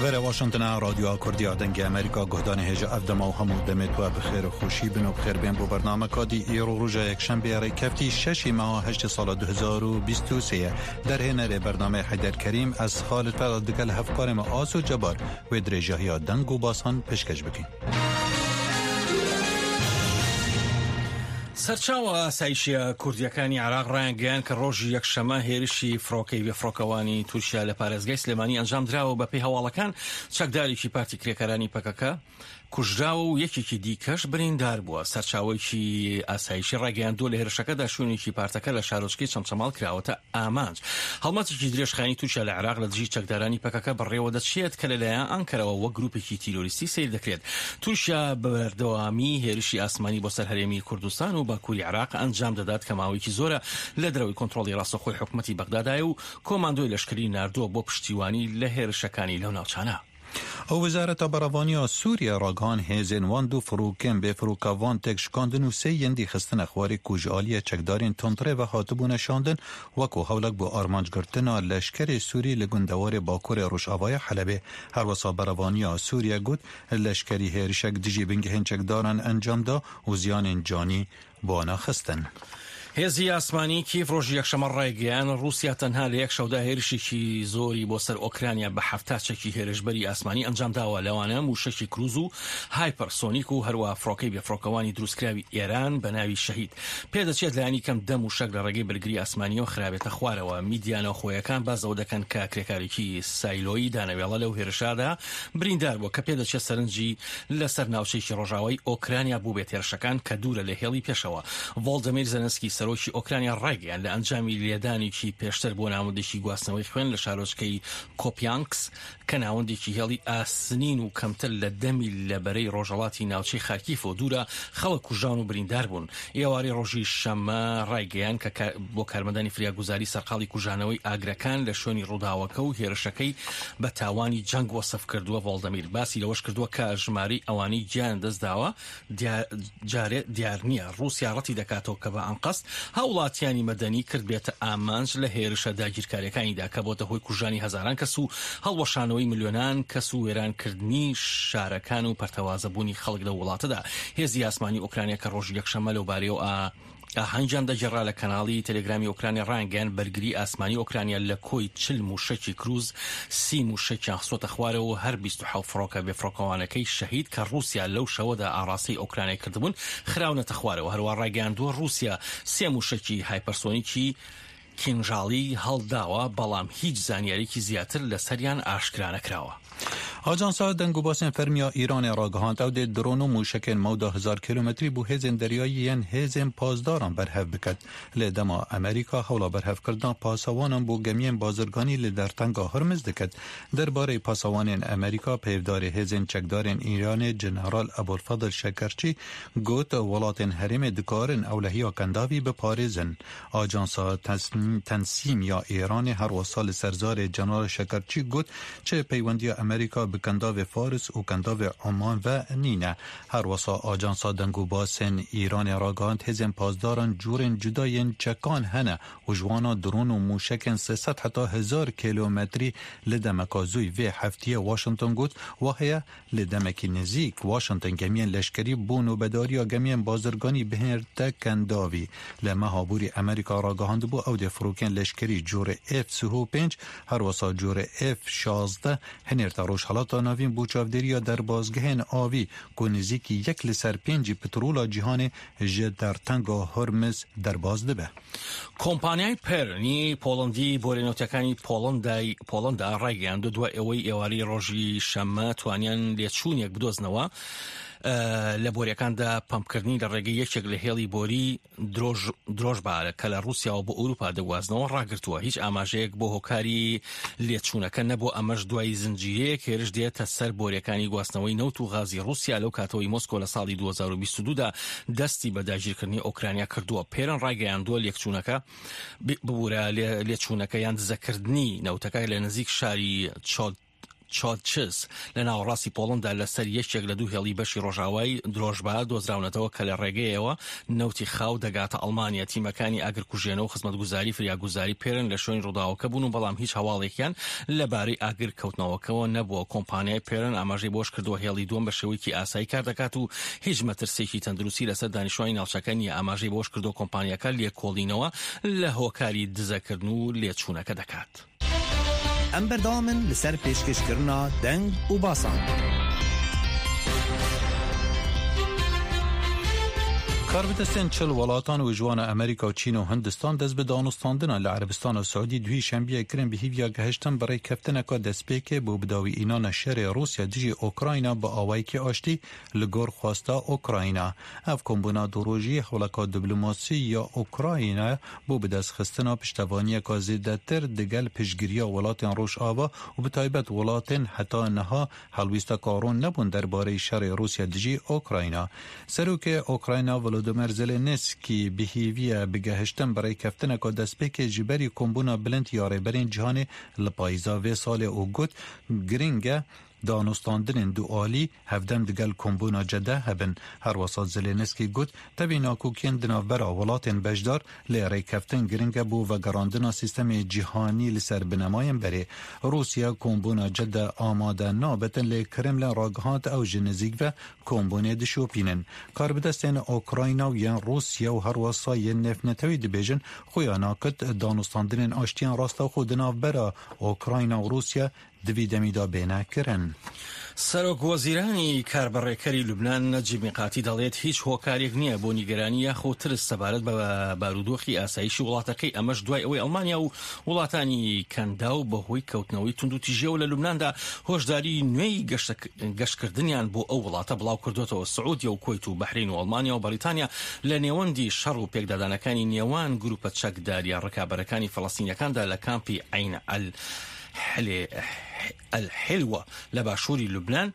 Vere Washington a Radyoa Kurdî a Dengê Amerîka guhdanê hêja ev dema û hemû demê tu bi xêr û xweşî bin û bi xêr bên bo bernameka dî îro roja yekşembê rêkeftî şeşî meha heştê sala 2023 ye. Derhênerê bernameyê Heyder Kerîm ez Xalid Ferat digel hevkarê me Aso Cebar wê dirêjahiya deng û basan pêşkeş bikîn. سەرچاوە ئاسایشیە کوردیەکانی عێراق ڕایانگەیاند کە ڕۆژی یەکشەمە هێرشی فڕۆکەی بێفڕۆکەوانی تورکیا لە پارێزگای سلێمانی ئەنجامدراوە بەپێی هەواڵەکان چەکدارێکی پارتی کرێکارانی پەکەکە کوژراوە و یەکێکی دیکەش بریندار بووە. سەرچاوەیەکی ئاسایشی ڕایگەیاندووە لە هێرشەکەدا شوێنێکی پارتەکە لە شارۆچکەی چەمچەماڵ کراوەتە ئامانج. هەڵمەتێکی درێژخایەنی تورکیا لە عێراق لە دژی چەکدارانی پەکەکە بەڕێوەدەچێت کە لەلایەن ئەنکەرەوە وەک گروپێکی تیرۆریستی سەیر دەکرێت. تورکیا بە بەردەوامی هێرشی ئاسمانی بۆ سەر هەرێمی کوردستان و باکووری عێراق ئەنجام دەدات کە ماوەیەکی زۆرە لە دەرەوەی کۆنترۆڵی ڕاستەوخۆی حکومەتی بەغدادایە و کۆماندۆی لەشکری ناردووە بۆ پشتیوانی لە هێرشەکانی لەو ناوچانە. ئەو وەزارەتا بەرەڤانیا Sûriye ragihand hêzên wan du firokên bêfirokevan têk şikandin û sê yên dî xistine xwarê ku ji aliyê çekdarên tundrê ve hatibûne şandin wekû hewlek bo armancgirtina leşkerê Sûrî li gundewarê bakurê rojavaya Helebê. Herwisa berevaniya Sûriye got leşkerî hêrişek dijî bingehên çekdaran encam da û ziyanên canî بۆ نەخستن. هێزی ئاسمانی کیێڤ ڕۆژی یەکشەممە ڕایگەیاند، ڕووسیا تەنها لە یەک شەودا هێرشێکی زۆری بۆ سەر ئۆکرانیا بە 70 چەکی هێرشبەری ئاسمانی ئەنجامداوە، لەوانە مووشەکی کروز و هایپەرسۆنیک و هەروەها فڕۆکەی بێفڕۆکەوانی دروستکراوی ئێران بە ناوی شەهید. پێدەچێت لایەنی کەم دە مووشەک لە ڕێگەی بەرگری ئاسمانییەوە خرابێتە خوارەوە. میدیا ناوخۆیەکان باس لەوە دەکەن کە کرێکارێکی سایلۆی دانەوێڵە لەو هێرشەدا بریندار بووە کە پێدەچێت سەرنجی لەسەر ناوچەیەکی ڕۆژاوای ئۆکرانیا بووبێت هێرشەکان کە دوورە لە هێڵی پێشەوە. ڤۆڵدەمیر زێلێنسکی سەرۆکی ئۆکرانیا ڕایگەیاند لە ئەنجامی لێدانێکی پێشتر بۆ ناوەندێکی گواستنەوەی خوێن لە شارۆچکەی کۆپیانکس کە ناوەندێکی هێڵی ئاسنین و کەمتر لە دە میل لە بەرەی ڕۆژهەڵاتی ناوچەی خارکیفەوە دوورە، خەڵک کوژراون و بریندار بوون. ئێوارەی ڕۆژی شەممە ڕایگەیاند کە بۆ کارمەندانی فریاگوزاری سەرقاڵی کوژانەوەی ئاگرەکان لە شوێنی ڕووداوەکە و هێرشەکەی بە تاوانی جەنگ وەسف کردووە. ڤۆڵدەمیر باسی لەوەش کردووە کە ژمارەی ئەوانەی گیانیان دەستداوە جارێ دیار نییە. ڕووسیا ڕەتی دەکاتەوە کە بە ئەنقەست هاوڵاتیانی مەدەنی کردبێتە ئامانج لە هێرشە داگیرکارییەکانیدا کە بۆتە هۆی کوژرانی هەزاران کەس و هەڵوەشانەوەی ملیۆنان کەس و وێرانکردنی شارەکان و پەرتەوازەبوونی خەڵک لەو وڵاتەدا. هێزی ئاسمانی ئۆکرانیا کە ڕۆژی یەکشەممە لەوبارەیەوە ئاهەنگیان دەگێڕا لە کەناڵی تەلەگرامی ئۆکرانیا ڕایانگەیاند، بەرگری ئاسمانی ئۆکرانیا لە کۆی 40 مووشەکی کروز سی مووشەکیان خستۆتە خوارەوە و هەر 27 فڕۆکە بێفڕۆکەوانەکەی شەهید کە ڕووسیا لەو شەوەدا ئاڕاستەی ئۆکرانیای کردبوون خراونەتە خوارەوە. هەروەها ڕایگەیاندووە ڕووسیا سێ مووشەکی هایپەرسۆنیکی کینژاڵی هەڵداوە، بەڵام هیچ زانیاریی زیاتر لەسەریان ئاشکرا نەکراوە. ئاژانسا دەنگوباسên fermî ya Îranê ragihand ew dê dron û mûşekên mewda hezar kîlometrî bo hêzên deryayî yên hêzên pasdaran berhev biket. Lê dema Amerîka hewla berhevkirina pasewanan bo gemiyên bazirganî li dertenga Hurmiz diket. Derbarê pasewanên Amerîka peyvdarê hêzên çekdarên Îranê General Ebulfedl Şekerçî got welatên herêmê dikarin ewlehiya kendavî biparêzin. Ajansa Tensîm ya Îranê her wisa li ser zarê Ceneral Şekerçî got, Çi peywendiya Amerîka bi Kendavê Faris û Kendavê Oman ve nîne. Her wisa Ajansa Dengûbasên Îranê ragihand hêzên pasdaran cûrên cuda yên çekan hene û ji wana dron û mûşekên 300 heta hezar kîlometrî li demeka zûy vê heftiyê Washington got, Waheye Li demekî nêzîk, Washington gemiyên leşkerî bo nobedariya gemiyên bazirganî bihêrte kendavî. Li meha borî Amerîka ragihandibû ew dê firokên leşkerî corê F 35 her wisa corê F 16 hinêrte Rojhilata Navîn bo çavdêriya derbasgehên avî ku nêzîkî yek li ser pêncî petrola cîhanê ji dertenga Hormiz derbas dibe. کۆمپانیای پێرنی پۆڵەندی بۆریە نەوتەکانی پۆڵەندای پۆڵەندا ڕایگەیاندووە دوای ئەوەی ئێوارەی ڕۆژی شەممە توانیان لێچوونێک بدۆزنەوە لە بۆریەکاندا پەمپکردنی لە ڕێگەی یەکێک لە هێڵی بۆری درۆژ بارە کە لە ڕووسیاوە بۆ ئەوروپا دەگوازنەوە ڕاگرتووە هیچ ئاماژەیەک بۆ هۆکاری لێچوونەکە نەبوو ئەمەش دوای زنجیرەیەک هێرش دێتە سەر بۆریەکانی گواستنەوەی نەوت و غازی ڕووسیا لەو کاتەوەی مۆسکۆ لە ساڵی 2022 دا دەستی بە داگیرکردنی ئۆکرانیا کردووە. پێرن ڕایگەیاندووە لێکچوونەکە ببورە لێچوونەکە یان دزەکردنی نەوتەکە لە نزیک شاری چۆد. چۆدچز لە ناوەڕاستی پۆڵەندا لەسەر یەکێک لە دوو هێڵی بەشی ڕۆژاوای درۆژبا دۆزراونەتەوە کە لە ڕێگەیەوە نەوتی خاو دەگاتە ئەڵمانیا. تیمەکانی ئاگرکوژێنەوە و خزمەتگوزاری فریاگوزاری پێرن لە شوێنی ڕووداوەکە بوون و بەڵام هیچ هەواڵێکیان لەبارەی ئاگر کەوتنەوەکەوە نەبووە. کۆمپانیای پێرن ئاماژەی بەوەشکردووە، هێڵی دووەم بە شێوەیەکی ئاسایی کاردەکات و هیچ مەترسییەکی تەندروستی لەسەر دانیشتوانی ناوچەکە نییە. ئاماژەی بەوەشکردووە، کۆمپانیاکە لێکۆڵینەوە لە هۆکاری دزەکردن و لێچوونەکە دەکات. Em berdewam in li ser pêşkêşkirina deng û basan. Karbidestên 40 welatan û ji wan Amerîka û Çîn û Hindistan dest bi danûstandina li Erebistana Siûdî duhî şembiyê kirin bi hîviya gehiştin bi rêkeftineka destpêkê bo bidawîînana şerê Rûsya dijî Ukrayna bi awayekî aştî li gor xwesta Ukrayna. Ev kombûna durojî hewleka diplomasî ya Ukrayna bo bidestxistina piştevaniyeka zêdetir digel piştgiriya welatên Rojava û bi taybet welatên heta niha helwîsteka ron nebûn derbareyî şerê Rûsya dijî Ukrayna. Serokê Ukrayna Volodymyr Zelensky bi hêviya bi gehiştin bi rêkeftineka destpêkê ji berî kombûna bilind ya rêberên cîhanê li payîza vê salê û got girîng e Danûstandinên dualî hevdem digel kombûna Cedde hebin. Herwesa Zelensky got, tevî nakokiyên di navbera welatên beşdar lê rêkeftin giring e bo vegerandina sîstemê cîhanî li ser binemayên berê. Rûsya kombûna Cedde amade nabetin lê Kremlin ragihand ew ji nizîk ve kombûnê dişopînin. Karbidestên Ukrayna û yên Rûsya û herwesa yên nêvnetewî dibêjin xuya nakit danûstandinên aştiyên rastewxwe di navbera Ukrayna û Rûsya Di vî demî de bêne kirin. سەرۆکوەزیرانی کاربەڕێکەری لوبنان نەجیب میقاتی دەڵێت هیچ هۆکارێک نییە بۆ نیگەرانی یاخۆ ترس سەبارەت بە بارودۆخی ئاسایشی وڵاتەکەی ئەمەش دوای ئەوەی ئەڵمانیا و وڵاتانی کەنداو بەهۆی کەوتنەوەی توندوتیژیەوە لە لوبناندا هۆشداری نوێی گەشتکردنیان بۆ ئەو وڵاتە بڵاوکردۆتەوە سعودیە و کوەیت و بەحرین و ئەڵمانیا و بەریتانیا لە نێوەندی شەڕ و پێکدادانەکانی نێوان گروپە چەکداریە ڕکابەرەکانی فەڵەستینیەکاندا لە کامپی عەین ئەل الحلوە لە باشووری لوبنان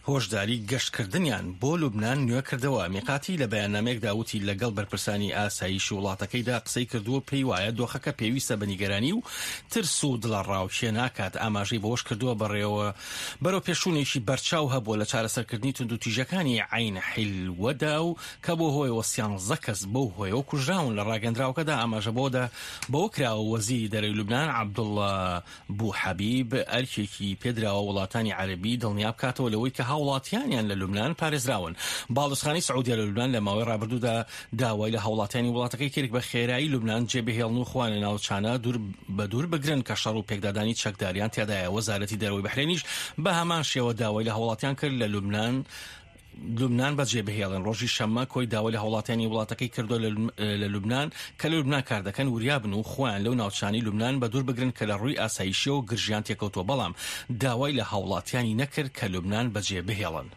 هۆشداری گەشتکردنیان بۆ لوبنان نوێکردەوە. میقاتی لە بەیاننامەیەکدا وتی لەگەڵ بەرپرسانی ئاسایشی وڵاتەکەیدا قسەی کردووە و پێی وایە دۆخەکە پێویستە بە نیگەرانی و ترس و دڵەڕاوکێ ناکات. ئاماژەی بەوەشکردووە بەڕێوە بەرەوپێشچوونێکی بەرچاو هەبووە لە چارەسەرکردنی توندوتیژەکانی عەین حیلوەدا و کە بۆ هۆیەوە سیانزە کەس بەو هۆیەوە کوژراون. لە ڕاگەندراوەکەدا ئاماژە بەوەدا بەوە کراوە وەزیری دەرەوەی لوبنان عەبدوڵڵا بو حەبیب ئەرکێکی پێدراوە وڵاتانی عەرەبی دڵنیا بکاتەوە لەوەی کە هاوڵاتیانیان لە لوبنان پارێزراون. باڵیۆزخانەی سعودیە لە لوبنان لە ماوەی ڕابردوودا داوای لە هاوڵاتیانی وڵاتەکەی کرد بە خێرایی لوبنان جێبهێڵن و خۆیان لە ناوچانە دوور بە دوور بگرن کە شەڕ و پێکدادانی چەکداریان تیادایە. وەزارەتی دەرەوەی بەحرێنیش بە هەمان شێوە داوای لە هاوڵاتیان کرد لە لوبنان لوبنان بەجێ بهێڵن. ڕۆژی شەممە کۆی داوای لە هاوڵاتیانی وڵاتەکەی کردووە لە لوبنان کە لە لوبنان کار دەکەن وریابن و خۆیان لەو ناوچانەی لوبنان بەدوور بگرن کە لە ڕووی ئاسایشیەوە گرژیان تێکەوتووە، بەڵام داوای لە هاوڵاتیانی نەکرد کە لوبنان بەجێ بهێڵن.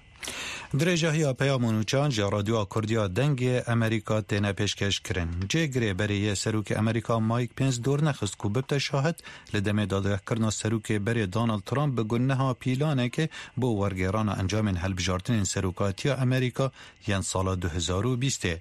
درێژەهیا پەیام و نوچان ژە ڕادیۆا کوردیا دەنگێ ئەمریکا تێنە پێشکێش کرن. جێگرێ بەرێ یێ سەروکێ ئەمریکا مایک پێنس دۆر نەخست کو ببتە شاهد Li demê dadgehkirina Serokê berê Donald Trump bi guneha pîlanekê bo wergêrana encamên hilbijartinên Serokatiya Amerîka yên sala 2020 ê.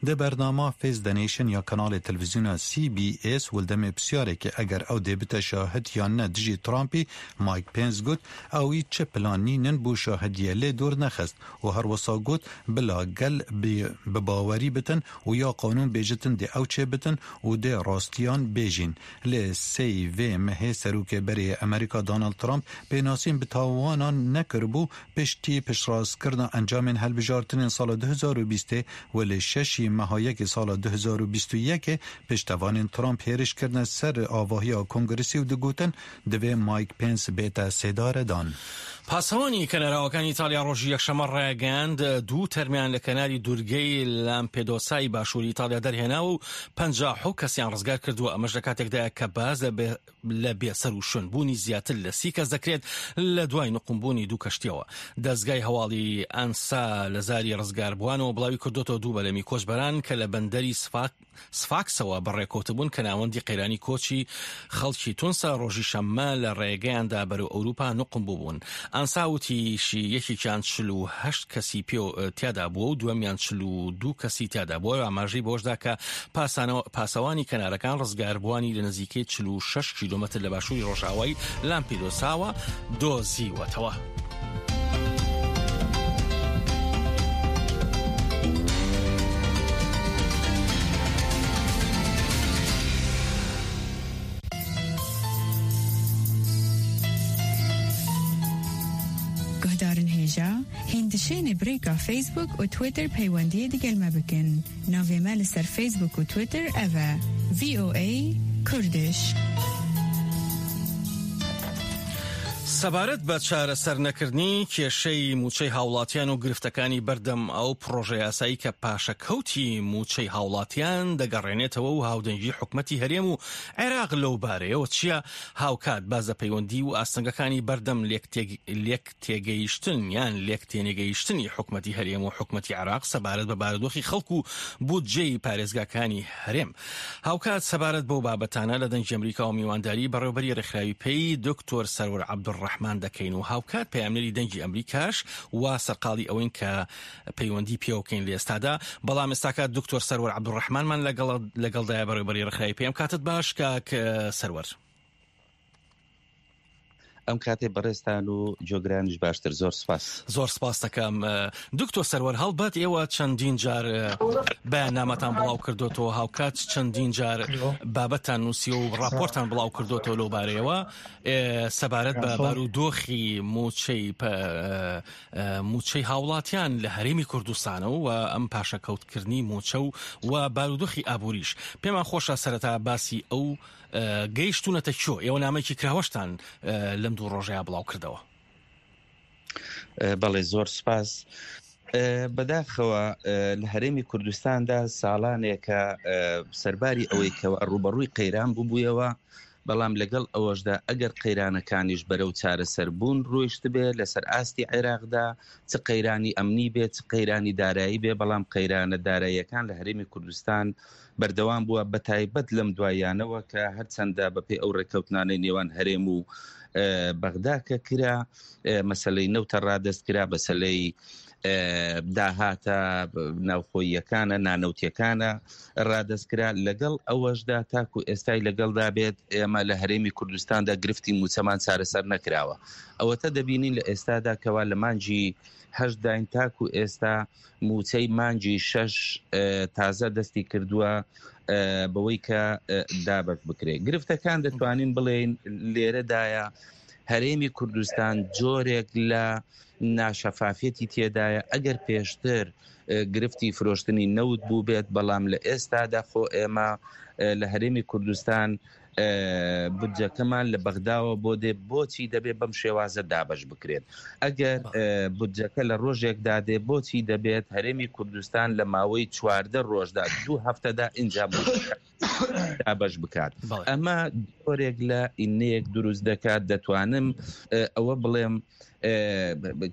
Di bernama Face the Nation ya kanalê televîzyona CBS û li demê pirsyarekê eger ew dê bite şahid yan ne dijî Trumpî, Mike Pence got ewî çi plan nînin bo şahidiyê lê dûr nexist û her wisa got bila gel bi bawerî bitin û ya qanûn bêjitin dê ew çêbitin û dê rastiyan bêjîn. Lê sey vê mehê Serokê berê yê Amerîka Donald Trump pênasîn bi tawanan nekiribû piştî piştrastkirina encamên hilbijartinên sala 2020 ê û li şeşî meha yekê sala 2021 ê piştevanên Trump hêriş kirine ser avahiya Kongresê û digotin divê Mike Pence bête sêdaredan. پاسەوانی کەناراوەکانی ئیتاڵیا ڕۆژی یەکشەممە ڕایگەیاند، دوو تەرمیان لە کەناری دوورگەی لامپێدۆسای باشووری ئیتاڵیا دەرهێناوە و 57 کەسیان ڕزگار کردووە، ئەمەش لە کاتێکدایە کە باس لە بێسەروشوێنبوونی زیاتر لە 30 کەس دەکرێت لە دوای نقومبوونی دوو کەشتیەوە. دەزگای هەواڵی ئەنسا لە زاری ڕزگاربووانەوە بڵاوی کردۆتەوە دوو بەلەمی کۆچبەران کە لە بەندەری سفاکسەوە بەڕێکەوتبوون کە ناوەندی قەیرانی کۆچی خەڵکی تونسە ڕۆژی شەممە لە ڕێگەیاندا بەرەو ئەوروپا نوقم بووبوون. ئانسا وتیشی یەکێکیان 49 48 کەسی پێ تیادا بووە و دووەمیان 42 کەسی تیادا بووە. ئاماژەی بەوەشدا کە پاسەوانی کەنارەکان ڕزگاربووانی لە نزیکەی 46 کیلۆمەتر لە باشووری ڕۆژئاوای لامپیدۆساوە دۆزیوەتەوە. Guhdarên hêja, hîn dişênê bi rêka Facebook û Twitter peywendiyê digel me bikin. Navê me li ser Facebook û Twitter ev e, VOA Kurdish. سەبارەت بە چارەسەرنەکردنی کێشەی مووچەی هاوڵاتیان و گرفتەکانی بەردەم ئەو پڕۆژەیاسایی کە پاشەکەوتی مووچەی هاوڵاتیان دەگەڕێنێتەوە و هاودەنگی حکومەتی هەرێم و عێراق لەو بارەیەوە چییە؟ هاوکات باس لە پەیوەندی و ئاستەنگەکانی بەردەم لێکتێگەیشتن یان لێکتێنەگەیشتنی حکومەتی هەرێم و حکومەتی عێراق سەبارەت بە بارودۆخی خەڵک و بودجەی پارێزگاکانی هەرێم. هاوکات سەبارەت بەو بابەتانە لە دەنگی ئەمریکا و میوانداری بەڕێوبەری ڕێکخراوی پەی دکتۆر سەروەر عەبدولڕەحمان دەکەین و هاوکات پەیامنێری دەنگی ئەمریکاش وا سەرقاڵی ئەوەین کە پەیوەندی پێوە بکەین لە ئێستادا، بەڵام ئێستاکە دکتۆر سەروەر عەبدولڕەحمانمان لەگەڵ لەگەڵدایە بەڕێوبەری ڕێکخراوی پێ. ئەم کاتت باش کاک سەروەر. ئەم کاتەی بەڕێزتان و جۆگرانیش باشتر زۆر سپاس. زۆر سپاس دەکەم دکتۆر سەروەر هەڵبەت ئێوە چەندین جار بەیاننامەتان بڵاو کردوتەوە هاوکات چەندین جار بابەتان نووسیوە و ڕاپۆرتان بڵاو کردوتەوە لەو بارەیەوە سەبارەت بە بارودۆخی موچەی مووچەی هاوڵاتیان لە هەرێمی کوردستانە و ئەم پاشەکەوتکردنی مووچە و و بارودۆخی ئابووریش. پێمان خۆشە سەرەتا باسی ئەو گەیشتوونەتە کوێ؟ ئێوە نامەیەکی کراوەشتان لەم دوو ڕۆژەیا بڵاو کردەوە. بەڵێ زۆر سپاس. بەداخەوە لە هەرێمی کوردستاندا ساڵانێکە سەرباری ئەوەی کەوا ڕووبەڕووی قەیران ببوویەوە، بەڵام لەگەڵ ئەوەشدا ئەگەر قەیرانەکانیش بەرەو چارەسەربوون ڕۆیشتبێ لەسەر ئاستی عێراقدا، چ قەیرانی ئەمنی بێ، چ قەیرانی دارایی بێ، بەڵام قەیرانە داراییەکان لە هەرێمی کوردستان بەردەوام بووە، بەتایبەت لەم دواییانەوە کە هەرچەندە بەپێی ئەو ڕێککەوتنانەی نێوان هەرێم و بەغدا کە کرا، مەسەلەی نەوتە ڕادەست کرا، مەسەلەی داهاتە ناوخۆییەکانە، نانەوتیەکانە ڕادەست کرا، لەگەڵ ئەوەشدا تاکو ئێستای لەگەڵدا بێت ئێمە لە هەرێمی کوردستاندا گرفتی مووچەمان چارەسەر نەکراوە. ئەوەتە دەبینین لە ئێستادا کەوا لە مانگی هەشت داین تاکو ئێستا مووچەی مانگی شەش تازە دەستی کردووە بەوەی کە دابەش بکرێت. گرفتەکان دەتوانین بڵێین لێرەدایە هەرێمی کوردستان جۆرێک لە ناشەفافیەتی تێدایە، ئەگەر پێشتر گرفتی فرۆشتنی نەوت بووبێت، بەڵام لە ئێستادا خۆ ئێمە لە هەرێمی کوردستان بودجەکەمان لە بەغداوە بۆ دێ، بۆچی دەبێت بەم شێوازە دابەش بکرێت؟ ئەگەر بودجەکە لە ڕۆژێکدا دێ، بۆچی دەبێت هەرێمی کوردستان لە ماوەی 14 ڕۆژدا، دوو هەفتەدا ئینجا مووچەکە دابەش بکات؟ ئەمە جۆرێک لە ئینەیەک دروست دەکات، دەتوانم ئەوە بڵێم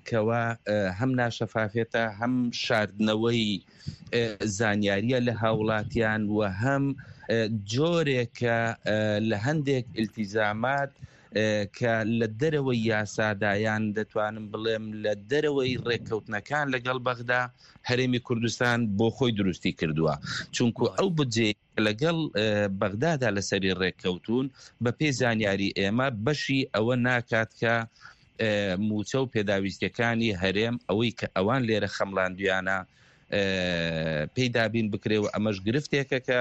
کەوا هەم ناشەفافێتە، هەم شاردنەوەی زانیاریە لە هاوڵاتیان و هەم جۆرێکە لە هەندێک ئیلتیزامات کە لە دەرەوەی یاسادا یان دەتوانم بڵێم لە دەرەوەی ڕێککەوتنەکان لەگەڵ بەغدا هەرێمی کوردستان بۆ خۆی دروستی کردووە چونکو ئەو بودجەیە لەگەڵ بەغدادا لەسەری ڕێککەوتوون بەپێی زانیاری ئێمە بەشی ئەوە ناکات کە مووچە و پێداویستیەکانی هەرێم ئەوەی کە ئەوان لێرە خەمڵاندویانە پێی دابین بکرێ و ئەمەش گرفتێکە کە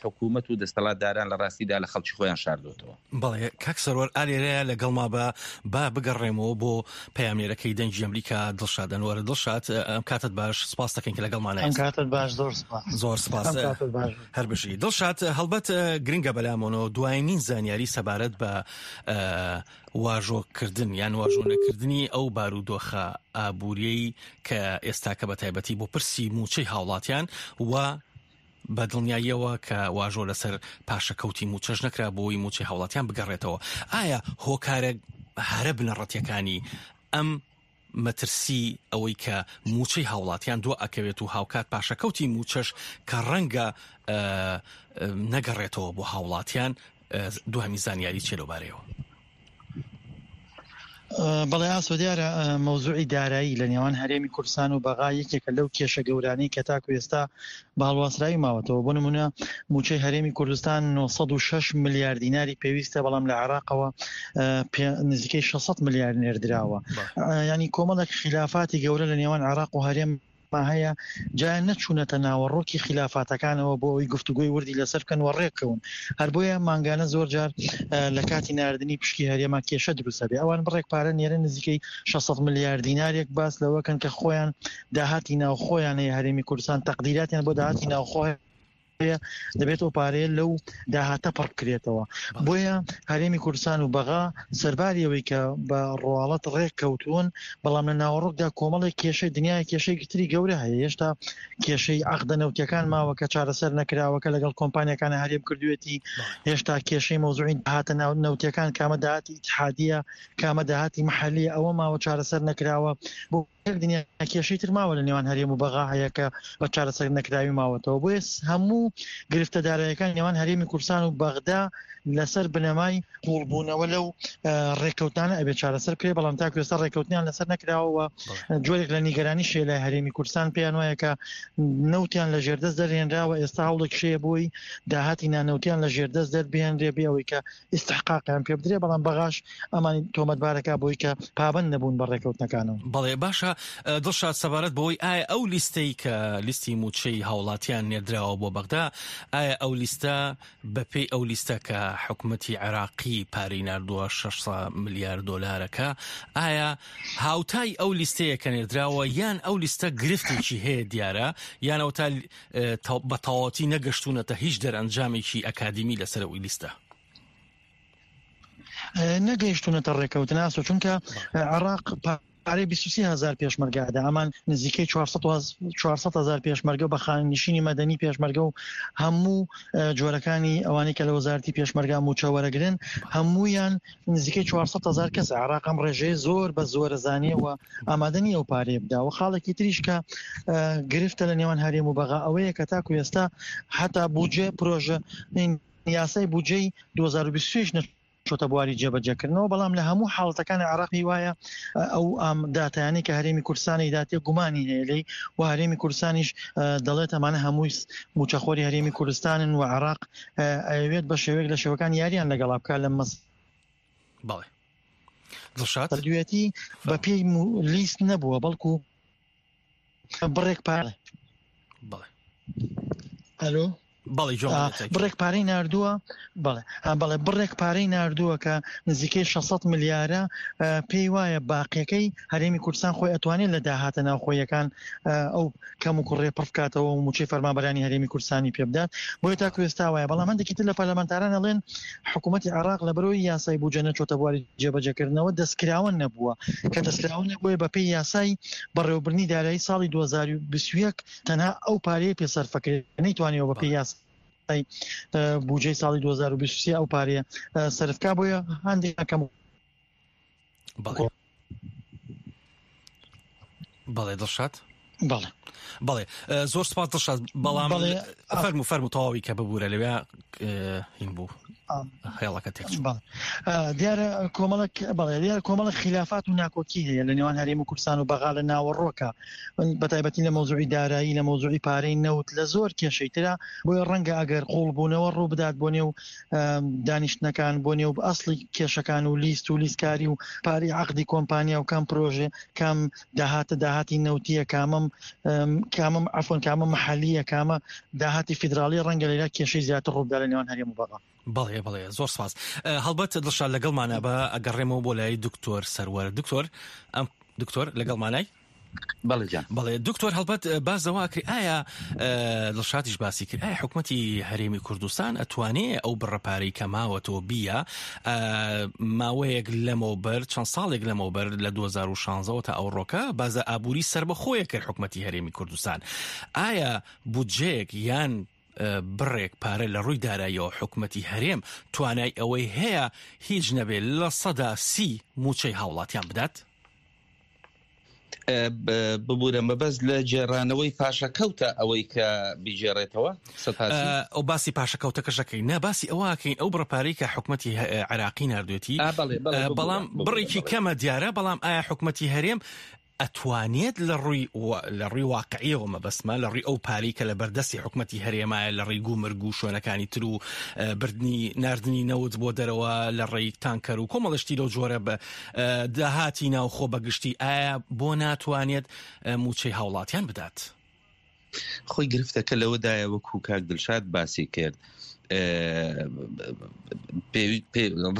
حکوومەت و دەستەڵاتداران لە ڕاستیدا لە خەڵکی خۆیان شاردۆتەوە. بەڵێ کاک سەروەر ئالێرەیە لەگەڵما بە با بگەڕێمەوە بۆ پەیامنێرەکەی دەنگی ئەمریکا دڵشاد ئەنوەر. دڵشاد ئەم کاتت باش، سپاس دەکەین کە لەگەڵمانە. ئەم کاتت باش، زۆر سپاس. زۆر سپاس. ئەم کاتت باش. هەر بژی. دڵشاد هەڵبەت گرنگە بەلامەوە دوایینین زانیاری سەبارەت بە واژۆ کردن یان واژۆ نەکردنی ئەو بارودۆخە ئابووریەی کە ئێستاکە بە تایبەتی بۆ پرسی مووچەی هاوڵاتیان و بە دڵنیاییەوە کە واژۆ لەسەر پاشەکەوتی مووچەش نەکرا بۆی مووچەی هاوڵاتیان بگەڕێتەوە ئایا هۆکارە هەرە بنەڕەتیەکانی ئەم مەترسی ئەوەی کە مووچەی هاوڵاتیان دوا ئەکەوێت و هاوکات پاشەکەوتی مووچەش کە ڕەنگە نەگەڕێتەوە بۆ هاوڵاتیان دوهەمی زانیاری چیە لەوبارەیەوە؟ بەڵێ ئاسۆ دیارە مەوزوعی دارایی لە نێوان هەرێمی کوردستان و بەغا یەکێکە لەو کێشە گەورانەی کە تاکو ئێستا بە هەڵواسراوی ماوەتەوە بۆ نمونە موچەی هەرێمی کوردستان 906 ملیار دیناری پێویستە بەڵام لە عێراقەوە نزیکەی 600 ملیار نێردراوە ینی کۆمەڵێک خلافاتی گەورە لە نێوان عێراق و هەرێم هەیە جا نەچوونەتە ناوەڕۆکی خیلافاتەکانەوە بۆ ئەوەی گفتوگۆی وردی لەسەر بکەن و ڕێککەون. هەر بۆیە مانگانە زۆر جار لە کاتی ناردنی پشکی هەرێما کێشە دروست ئەبێ. ئەوان بڕێک پارە نێرن نزیکەی 600 ملیار دینارێک باس لەوە کەن کە خۆیان داهاتی ناوخۆیان هەیە هەرێمی کوردستان تەقدیراتیان بۆ داهاتی ناوخۆ هەیە دەبێت ئەو پارەیە لەو داهاتە پڕ بکرێتەوە بۆیە هەرێمی کوردستان و بەغا سەرباری ئەوەی کە بە ڕواڵەت ڕێک کەوتوون بەڵام لە ناوەڕۆکدا کۆمەڵێک کێشەی دنیای کێشەی تری گەورە هەیە هێشتا کێشەی عەقدە نەوتیەکان ماوە کە چارەسەر نەکراوە کە لەگەڵ کۆمپانیەکان هەرێم کردوێتی هێشتا کێشەی مەوزوعی داهاتە نەوتیەکان کامە داهاتی ئیتحادیە کامە داهاتی محەلیە ئەوە ماوە چارەسەر نەکراوە بۆ یەک دنیا کێشەی تر ماوە لە نێوان هەرێم و بەغا هەیە کە بە چارەسەر نەکراوی ماوەتەوە بۆیە هەموو گرفتە دارایەکان نێوان هەرێمی کوردستان و بەغدا لەسەر بنەمای قوڵبوونەوە لەو ڕێککەوتانە ئەبێت چارەسەر بکرێت بەڵام تاکو ئێستا ڕێککەوتنیان لەسەر نەکراوە جۆرێک لە نیگەرانی شێ لای هەرێمی کوردستان پێیان وایە کە نەوتیان لە ژێردەست دەرهێنراوە ئێستا هەوڵێک شەیە بۆی داهاتی نانەوتیان لە ژێردەست دەربهێنرێ بێ ئەوەی کە ئیستحقاقیان پێ بدرێ بەڵام بەغاش ئەمانی تۆمەتبارەکە بۆی کە پابەند نەبوون بە ڕێکەوتنەکانەوە. بەڵێ باشە دڵشاد سەبارەت بەوەی ئایا ئەو لیستەی کە لیستی مووچەی هاوڵاتیان نێردراوە بۆ بەغدا ئایا ئەو لیستە بەپێی ئەو لیستە کە حکومەتی عێراقی پارەی ناردووە 600 ملیار دۆلارەکە ئایا هاوتای ئەو لیستەیە کە نێردراوە یان ئەو لیستە گرفتێکی هەیە دیارە یان ئەوتا بە تەواوەتی نەگەشتوونەتە هیچ دەرئەنجامێکی ئەکادیمی لەسەر ئەو لیستە؟ نەگەیشتونەتە ڕێکەوتن ئاسۆ چونکە عێراق پارەی 23 هزار پێشمەرگە ئەدا ئەمان نزیکەی 400 هزار پێشمەرگە بە خانەنشینی مەدەنی پێشمەرگە و هەموو جۆرەکانی ئەوانەی کە لە وەزارتی پێشمەرگە موچە وەرەگرن هەمویان نزیکەی 400 هزار کەس عێراق ئەم ڕێژەیە زۆر بە زۆرە زانیەوە ئامادە نییە ئەو پارەیە بدا و خاڵێکی تریش کە گرفتە لە نێوان هەرێم و بەغا ئەوەیە کە تاکو ئێستا حتا بودجێ پرۆژە یاسای بودجەی 2026 نەچۆتە بواری جێبەجێکردنەوە بەڵام لە هەموو حاڵەتەکانی عێراق پێی وایە ئەو داتایانەی کە هەرێمی کوردستانی داتێ گومانی هەیە لێی و هەرێمی کوردستانیش دەڵێت ئەمانە هەمووی موچەخۆری هەرێمی کوردستانن و عێراق ئەیەوێت بە شێوەیەک لە شێوەکان یاریان لەگەڵا بکات لە مەس بەڵێ دڵشاد دوێتی بە پێی لیست نەبووە بەڵکو بڕێک پارە بەڵێ ئەلۆ بەڵێ جوان بڕێک پارەی ناردووە بەڵێ بەڵێ بڕێک پارەی ناردووە کە نزیکەی 600 ملیارە پێی وایە باقیەکەی هەرێمی کوردستان خۆی ئەتوانێت لە داهاتە ناوخۆیەکان ئەو کەم و کوڕێ پڕ بکاتەوە و موچەی فەرمانبەرانی هەرێمی کوردستانی پێ بدات بۆیە تاکو ئێستا وایە بەڵام هەندێکی تر لە پەرلەمانتاران ئەڵێن حکوومەتی عێراق لە بەرەوەی یاسای بودجە نەچۆتە بواری جێبەجێکردنەوە دەستکراوە نەبووە کە دەستکراوە نەبووە بەپێی یاسای بەڕێوەبردنی دارایی ساڵی 2021 تەنها ئەو پارەیە پێ سەرفەکرێت نەیتوانیوە بەپێی یاسای بودجەی ساڵی 2023 ئەو پارەیە سەرفکا بۆیە هەندێک کەم بەڵێ بەڵێ دڵشاد بەڵێ بەڵێ زۆر سپاس دڵشاد بەڵام فەرمو فەرمو تەواوی کە ببوورە لەوێ هین بوو هێڵەکە تێک دیارە کۆمەڵک بەڵێ دیارە کۆمەڵک خلافات و ناکۆکی هەیە لە نێوان هەرێم و کوردستان و بەغا لە ناوەڕۆکە بە تایبەتی لە مەوزوعی دارایی لە مەوزوعی پارەی نەوت لە زۆر کێشەی ترە بۆیە ڕەنگە ئەگەر قوڵبوونەوە ڕوو بدات بۆ نێو دانیشتنەکان بۆ نێو ئەسڵی کێشەکان و لیست و لیستکاری و پارەی عەقدی کۆمپانیا و کام پرۆژێ کام داهاتە داهاتی نەوتیە کامم کامم عەفوەن کامە محەلیە کامە داهاتی فیدراڵی ڕەنگە لێرە کێشەی زیاتر ڕووبدا لە نێوان هەرێم و بەغا. بەڵێ بەڵێ زۆر سپاس هەڵبەت دڵشاد لەگەڵمانە بە ئەگەڕێمەوە بۆ لای دکتۆر سەروەر دکتۆر ئەم دکتۆر لەگەڵمانای؟ بەڵێ جان. بەڵێ دکتۆر هەڵبەت باس لەوە ئەکرێ ئایا دڵشادیش باسی کرد ئایا حکومەتی هەرێمی کوردستان ئەتوانێ ئەو بڕە پارەی کە ماوەتەوە بیە ماوەیەک لەمەوبەر چەند ساڵێک لەمەوبەر لە 2016ەوە تا ئەوڕۆکە بازە ئابووری سربەخۆیە کرد حکومەتی هەرێمی کوردستان ئایا بودجەیەک یان بڕێک پارە لە ڕووی داراییەوە حکومەتی هەرێم توانای ئەوەی هەیە هیچ نەبێ 30% موچەی هاوڵاتیان بدات؟ ببورە مەبەست لە گێڕانەوەی پاشەکەوتە ئەوەی کە بیگێڕێتەوە سەتاسی؟ ئەو باسی پاشەکەوتەکەش ئەکەین نا باسی ئەوە ئەکەین ئەو بڕە پارەی کە حکومەتی عێراقی ناردوێتی بەڵام بڕێکی کەمە دیارە بەڵام ئایا حکومەتی هەرێم ئەتوانێت لە ڕووی لە ڕووی واقعیەوە مەبەستمە لە ڕووی ئەو پارەی کە لە بەردەستی حکومەتی هەرێمایە لە ڕێی گومرگ و شوێنەکانی تر و بردنی ناردنی نەوت بۆ دەرەوە لە ڕێی تانکەر و کۆمەڵە شتی لەو جۆرە بە داهاتی ناوخۆ بە گشتی ئایا بۆ ناتوانێت مووچەی هاوڵاتیان بدات؟ خۆی گرفتەکە لەوەدایە وەکو کاک دلشاد باسی کرد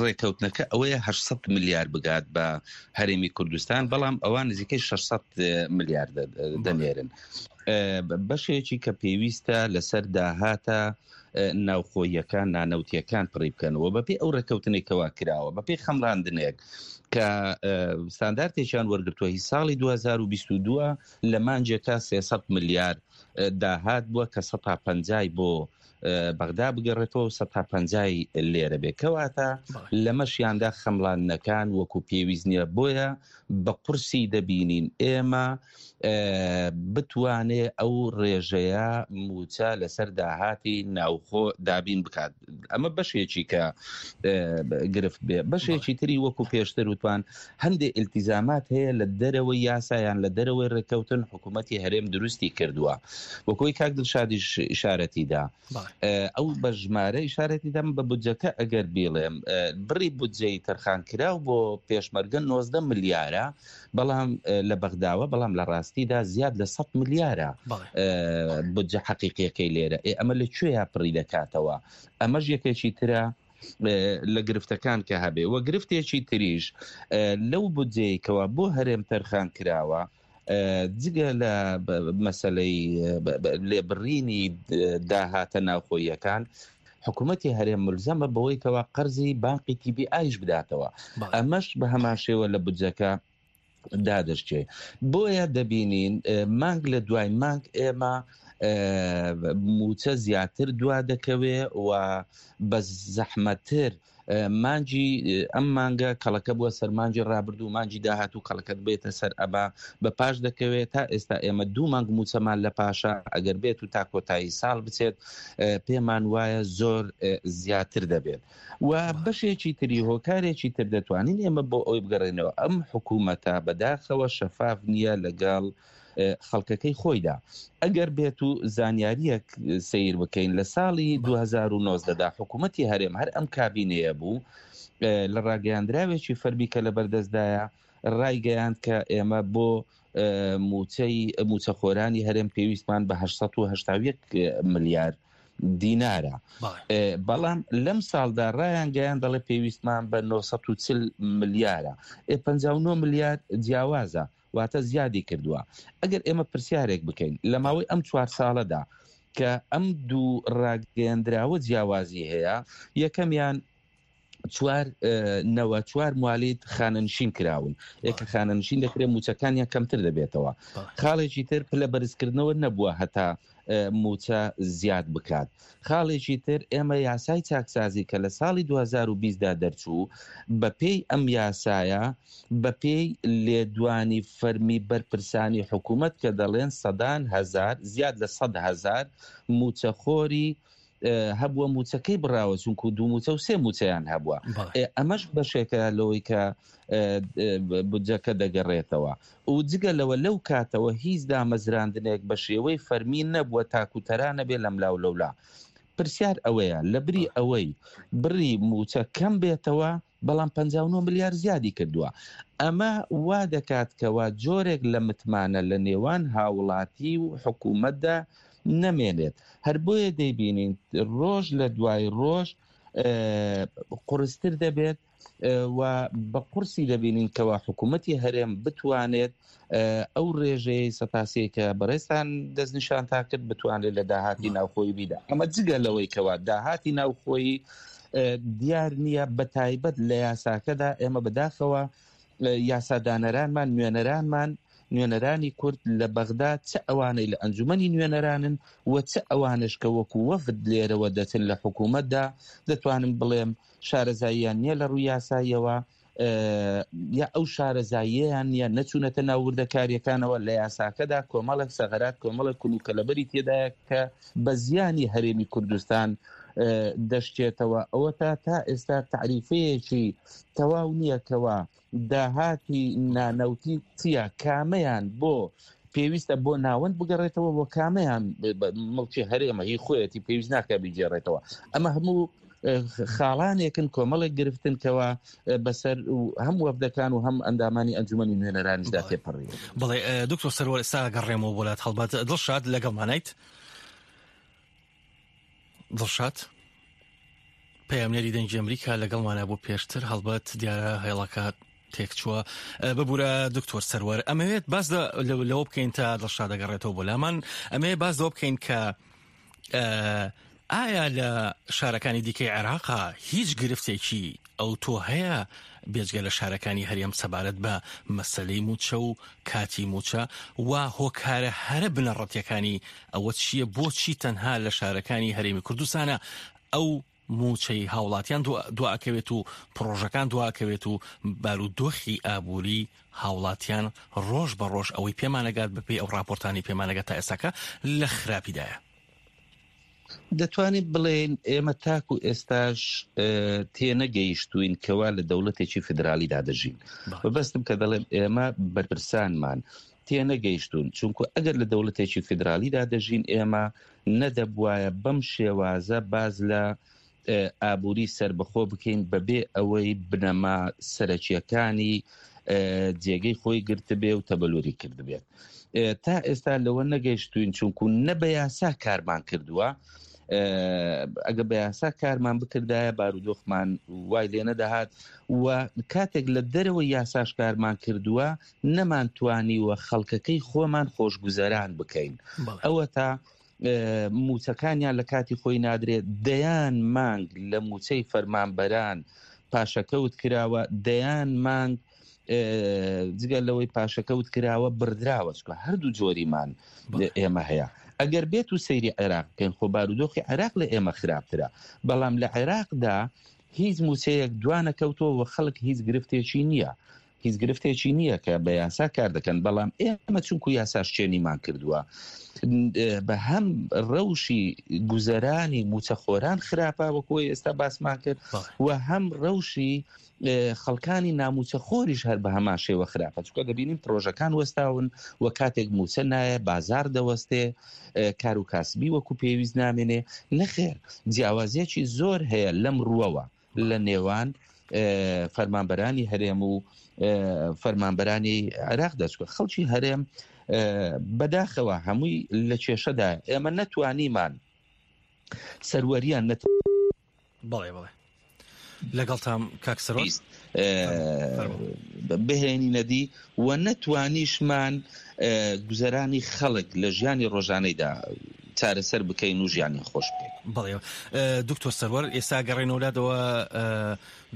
ڕێکەوتنەکە ئەوەیە 800 ملیار بگات بە هەرێمی کوردستان بەڵام ئەوان نزیکەی 600 ملیار دەنێرن بەشێکی کە پێویستە لەسەر داهاتە ناوخۆیەکان نانەوتیەکان پڕی بکەنەوە بەپێی ئەو ڕێککەوتنێک کەوا کراوە بەپێی خەمڵاندنێک کە ستاندارتێکیان وەرگتووە هی ساڵی 2022 لە مانجێکا 300 ملیار داهات بووە کە 150 بۆ بەغدا بگەڕێتەوە و 150 لێرە بێ کەواتە لەمەشیاندا خەمڵاندنەکان وەکو پێویست نییە بۆیە بە قورسی دەبینین ئێمە بتوانێ ئەو ڕێژەیە مووچە لەسەر داهاتی ناوخۆ دابین بکات ئەمە بەشێکی کە گرفت بێ بەشێکی تری وەکو پێشتر وتوان هەندێک التیزامات هەیە لە دەرەوەی یاسایان لە دەرەوەی ڕێککەوتن حکوومەتی هەرێم دروستی کردووە وەکۆی کاک دڵشادیش ئشارەتیدا ئەو بە ژمارە ئیشارەتی دەم بە بودجەکە ئەگەر بیڵێم بڕی بودجەی تەرخانکراو بۆ پێشمەرگە 90 ملیارە بەڵام لە بەغداوە بەڵام لە ڕاستیدا زیاد لە 100 ملیارە بودجە حەقیقیەکەی لێرە ئێ ئەمە لە کوێیا پڕی دەکاتەوە ئەمەش یەکێکی ترە لە گرفتەکان کە هەبێ وە گرفتێکی تریش لەو بودجەیەکەوە بۆ هەرێم تەرخان کراوە جگە لە مەسەلەی لێبڕینی داهاتە ناوخۆییەکان، حکوومەتی هەرێم ملزەمە بەوەی کەوا قەرزی بانقی تی بی ئایش بداتەوە، ئەمەش بە هەمان شێوە لە بودجەکە دادەشکێ. بۆیە دەبینین مانگ لە دوای مانگ ئێمە مووچە زیاتر دوا دەکەوێ و بە زەحمەتر مانگی ئەم مانگە کەڵەکە بووە سەر مانگی ڕابردوو مانگی داهاتوو کەڵەکەت بێتە سەر ئەبا بە پاش دەکەوێت تا ئێستا ئێمە دوو مانگ موچەمان لە پاشە ئەگەر بێت و تا کۆتایی ساڵ بچێت پێمان وایە زۆر زیاتر دەبێت و بەشێکی تری هۆکارێکی تر دەتوانین ئێمە بۆ ئەوی بگەڕێنەوە ئەم حکوومەتە بەداخەوە شەفاف نییە لەگەڵ خەڵکەکەی خۆیدا. ئەگەر بێت و زانیارییەک سەیر بکەین لە ساڵی 2019 دا حکوومەتی هەرێم هەر ئەم کابینەیە بوو لە ڕاگەیاندراوێکی فەرمی کە لەبەردەستدایە ڕایگەیاند کە ئێمە بۆ موچەی موچەخۆرانی هەرێم پێویستمان بە 881 ملیار دینارە بەڵام لەم ساڵدا ڕایان گەیان دەڵێ پێویستمان بە 940 ملیارە ئێ 59 ملیار جیاوازە واتە زیادی کردووە. ئەگەر ئێمە پرسیارێک بکەین لە ماوەی ئەم چوار ساڵەدا کە ئەم دوو ڕاگەیەندراوە جیاوازی هەیە، یەکەمیان چوار نەوە چوار موالید خانەنشین کراون یەکە خانەنشین دەکرێت موچەکانیان کەمتر دەبێتەوە خاڵێکی تر پلە بەرزکردنەوە نەبووە هەتا مووچە زیاد بکات. خاڵێکی تر ئێمە یاسای چاکسازی کە لە ساڵی 2020 دا دەرچوو، بەپێی ئەم یاسایە، بەپێی لێدوانی فەرمی بەرپرسانی حکومەت کە دەڵێن سەدان هەزار، زیاد لە 100,000 مووچەخۆری هەبووە مووچەکەی بڕاوە چونکو دوو مووچە و سێ مووچەیان هەبووە. ئەمەش بەشێکە لەوەی کە بودجەکە دەگەڕێتەوە و جگە لەوە لەو کاتەوە هیچ دامەزراندنێک بە شێوەی فەرمی نەبووە تاکو تەرا نەبێ لەملاو لەولا. پرسیار ئەوەیە لە بری ئەوەی بڕی مووچە کەم بێتەوە بەڵام 59 ملیار زیادی کردووە. ئەمە وا دەکات کەوا جۆرێک لە متمانە لە نێوان هاوڵاتی و حکوومەتدا نەمێنێت. هەر بۆیە دەیبینین ڕۆژ لە دوای ڕۆژ قورستر دەبێت و بە قورسی دەبینین کەوا حکوومەتی هەرێم بتوانێت ئەو ڕێژەیەی سەتاسەی کە بەڕێزتان دەستنیشانتان کرد بتوانێت لە داهاتی ناوخۆی بیدا ئەمە جگە لەوەی کەوا داهاتی ناوخۆیی دیار نییە بە تایبەت لە یاساکەدا ئێمە بەداخەوە یاسادانەرانمان نوێنەرانمان نوێنەرانی کورد لە بەغدا چ ئەوانەی لە ئەنجومەنی نوێنەرانن و چ ئەوانش کە وەکو وەفد لێرەوە دەچن لە حکوومەتدا دەتوانم بڵێم شارەزاییان نییە لە ڕووی یاساییەوە. یا ئەو شارەزاییەیان نییە، نەچوونەتە ناو وردەکارییەکانەوە، لە یاساکەدا کۆمەڵێک سەغەرات، کۆمەڵێک کولوکەلەبەری تێدایە کە بە زیانی هەرێمی کوردستان دەشکێتەوە، ئەوەتا تا ئێستا تەعریفەیەکی تەواو نییە کەوا داهاتی نانەوتی چییە، کامەیان بۆ پێویستە بۆ ناوەند بگەڕێتەوە و کامەیان مڵکی هەرێمە هی خۆیەتی پێویست ناکە بیگێڕێتەوە. ئەمە هەموو خاڵانێکن کۆمەڵێک گرفتن کەوا بەسەر هەم وەفدەکان و هەم ئەندامانی ئەنجومەنی نوێنەرانیشدا تێپەڕیوە. بەڵێ دکتۆر سەروەر ئێستا گەڕێمەوە بۆ لات هەڵبەت دڵشاد لەگەڵمانیت دڵشاد پەیامنێری دەنگی ئەمریکا لەگەڵمانە بۆ پێشتر هەڵبەت دیارە هێڵەکە تێکچووە ببوورە دکتۆر سەروەر ئەمەوێت باس لەوە بکەین تا دڵشاد دەگەڕێتەوە بۆ لامان ئەمەیە باس لەوە بکەین کە ئایا لە شارەکانی دیکەی عێراقا هیچ گرفتێکی ئەوتۆ هەیە بێجگە لە شارەکانی هەرێم سەبارەت بە مەسەلەی مووچە و کاتی مووچە و هۆکارە هەرە بنەڕەتیەکانی ئەوە چییە بۆچی تەنها لە شارەکانی هەرێمی کوردستانە ئەو مووچەی هاوڵاتیان دواکەوێت و پڕۆژەکان دواکەوێت و بارودۆخی ئابووری هاوڵاتیان ڕۆژ بە ڕۆژ ئەوەی پێمانەگات بەپێی ئەو ڕاپۆرتانی پێمانەگات تا ئێستاکە لە خراپیدایە. دەتوانین بڵێین ئێمە تاکو ئێستاش تێنەگەیشتوین کەوا لە دەوڵەتێکی فیدرالیدا دەژین. مەبەستم کە دەڵێم ئێمە بەرپرسانمان تێنەگەیشتوون، چونکو ئەگەر لە دەوڵەتێکی فیدرالیدا دەژین ئێمە نەدەبوایە بەم شێوازە باس لە ئابووری سەربەخۆ بکەین بەبێ ئەوەی بنەما سەرەکیەکانی جێگەی خۆی گرتبێ و تەبەلوری کردبێت. تا ئێستا لەوە نەگەیشتوین چونکو نە بە یاسا کارمان کردووە ئەگە بە یاسا کارمان بکردایە بارودۆخمان وای لێ نەدەهات و کاتێک لە دەرەوە یاساش کارمان کردووە نەمانتوانیوە خەڵکەکەی خۆمان خۆشگوزەران بکەین ئەوە تا موچەکانیان لە کاتی خۆی نادرێت دەیان مانگ لە موچەی فەرمانبەران پاشەکەوت کراوە دەیان مانگ جگە لەوەی پاشەکەوت کراوە بڕدراوە چکە هەردوو جۆریمان ئێمە هەیە ئەگەر بێت و سەیری عێراق بکەین خۆ بارودۆخی عێراق لە ئێمە خراپترە بەڵام لە عێراقدا هیچ موچەیەک دوانەکەوتەوە و خەڵک هیچ گرفتێکی نییە هیچ گرفتێکی نییە کە بە یاسا کار دەکەن بەڵام ئێمە چونکو یاساش چێنیمان کردووە بە هەم ڕەوشی گوزەرانی موچەخۆران خراپە وەکۆی ئێستا باسمان کرد و هەم ڕەوشی خەڵکانی ناموچەخۆریش هەر بە هەمان شێوە خراپە چونکە دەبینین پرۆژەکان وەستاون و کاتێک موچە نایە بازار دەوەستێ کار و کاسبی وەکو پێویست نامێنێ نەخێر جیاوازیەکی زۆر هەیە لەم ڕووەوە لە نێوان فەرمانبەرانی هەرێم و فەرمانبەرانی عێراق دەچکە خەڵکی هەرێم بەداخەوە هەمووی لە کێشەدا ئێمە نەتوانیمان سەروەریان نەت بەڵێ بەڵێ لەگەڵتام کاک سەرۆک بهێنینە دی و نەتوانیشمان گوزەرانی خەڵک لە ژیانی ڕۆژانەیدا چارەسەر بکەین و ژیانی خۆش بکەین. بەڵێ دکتۆر سەروەر ئێستا گەڕێنەوە لادەوە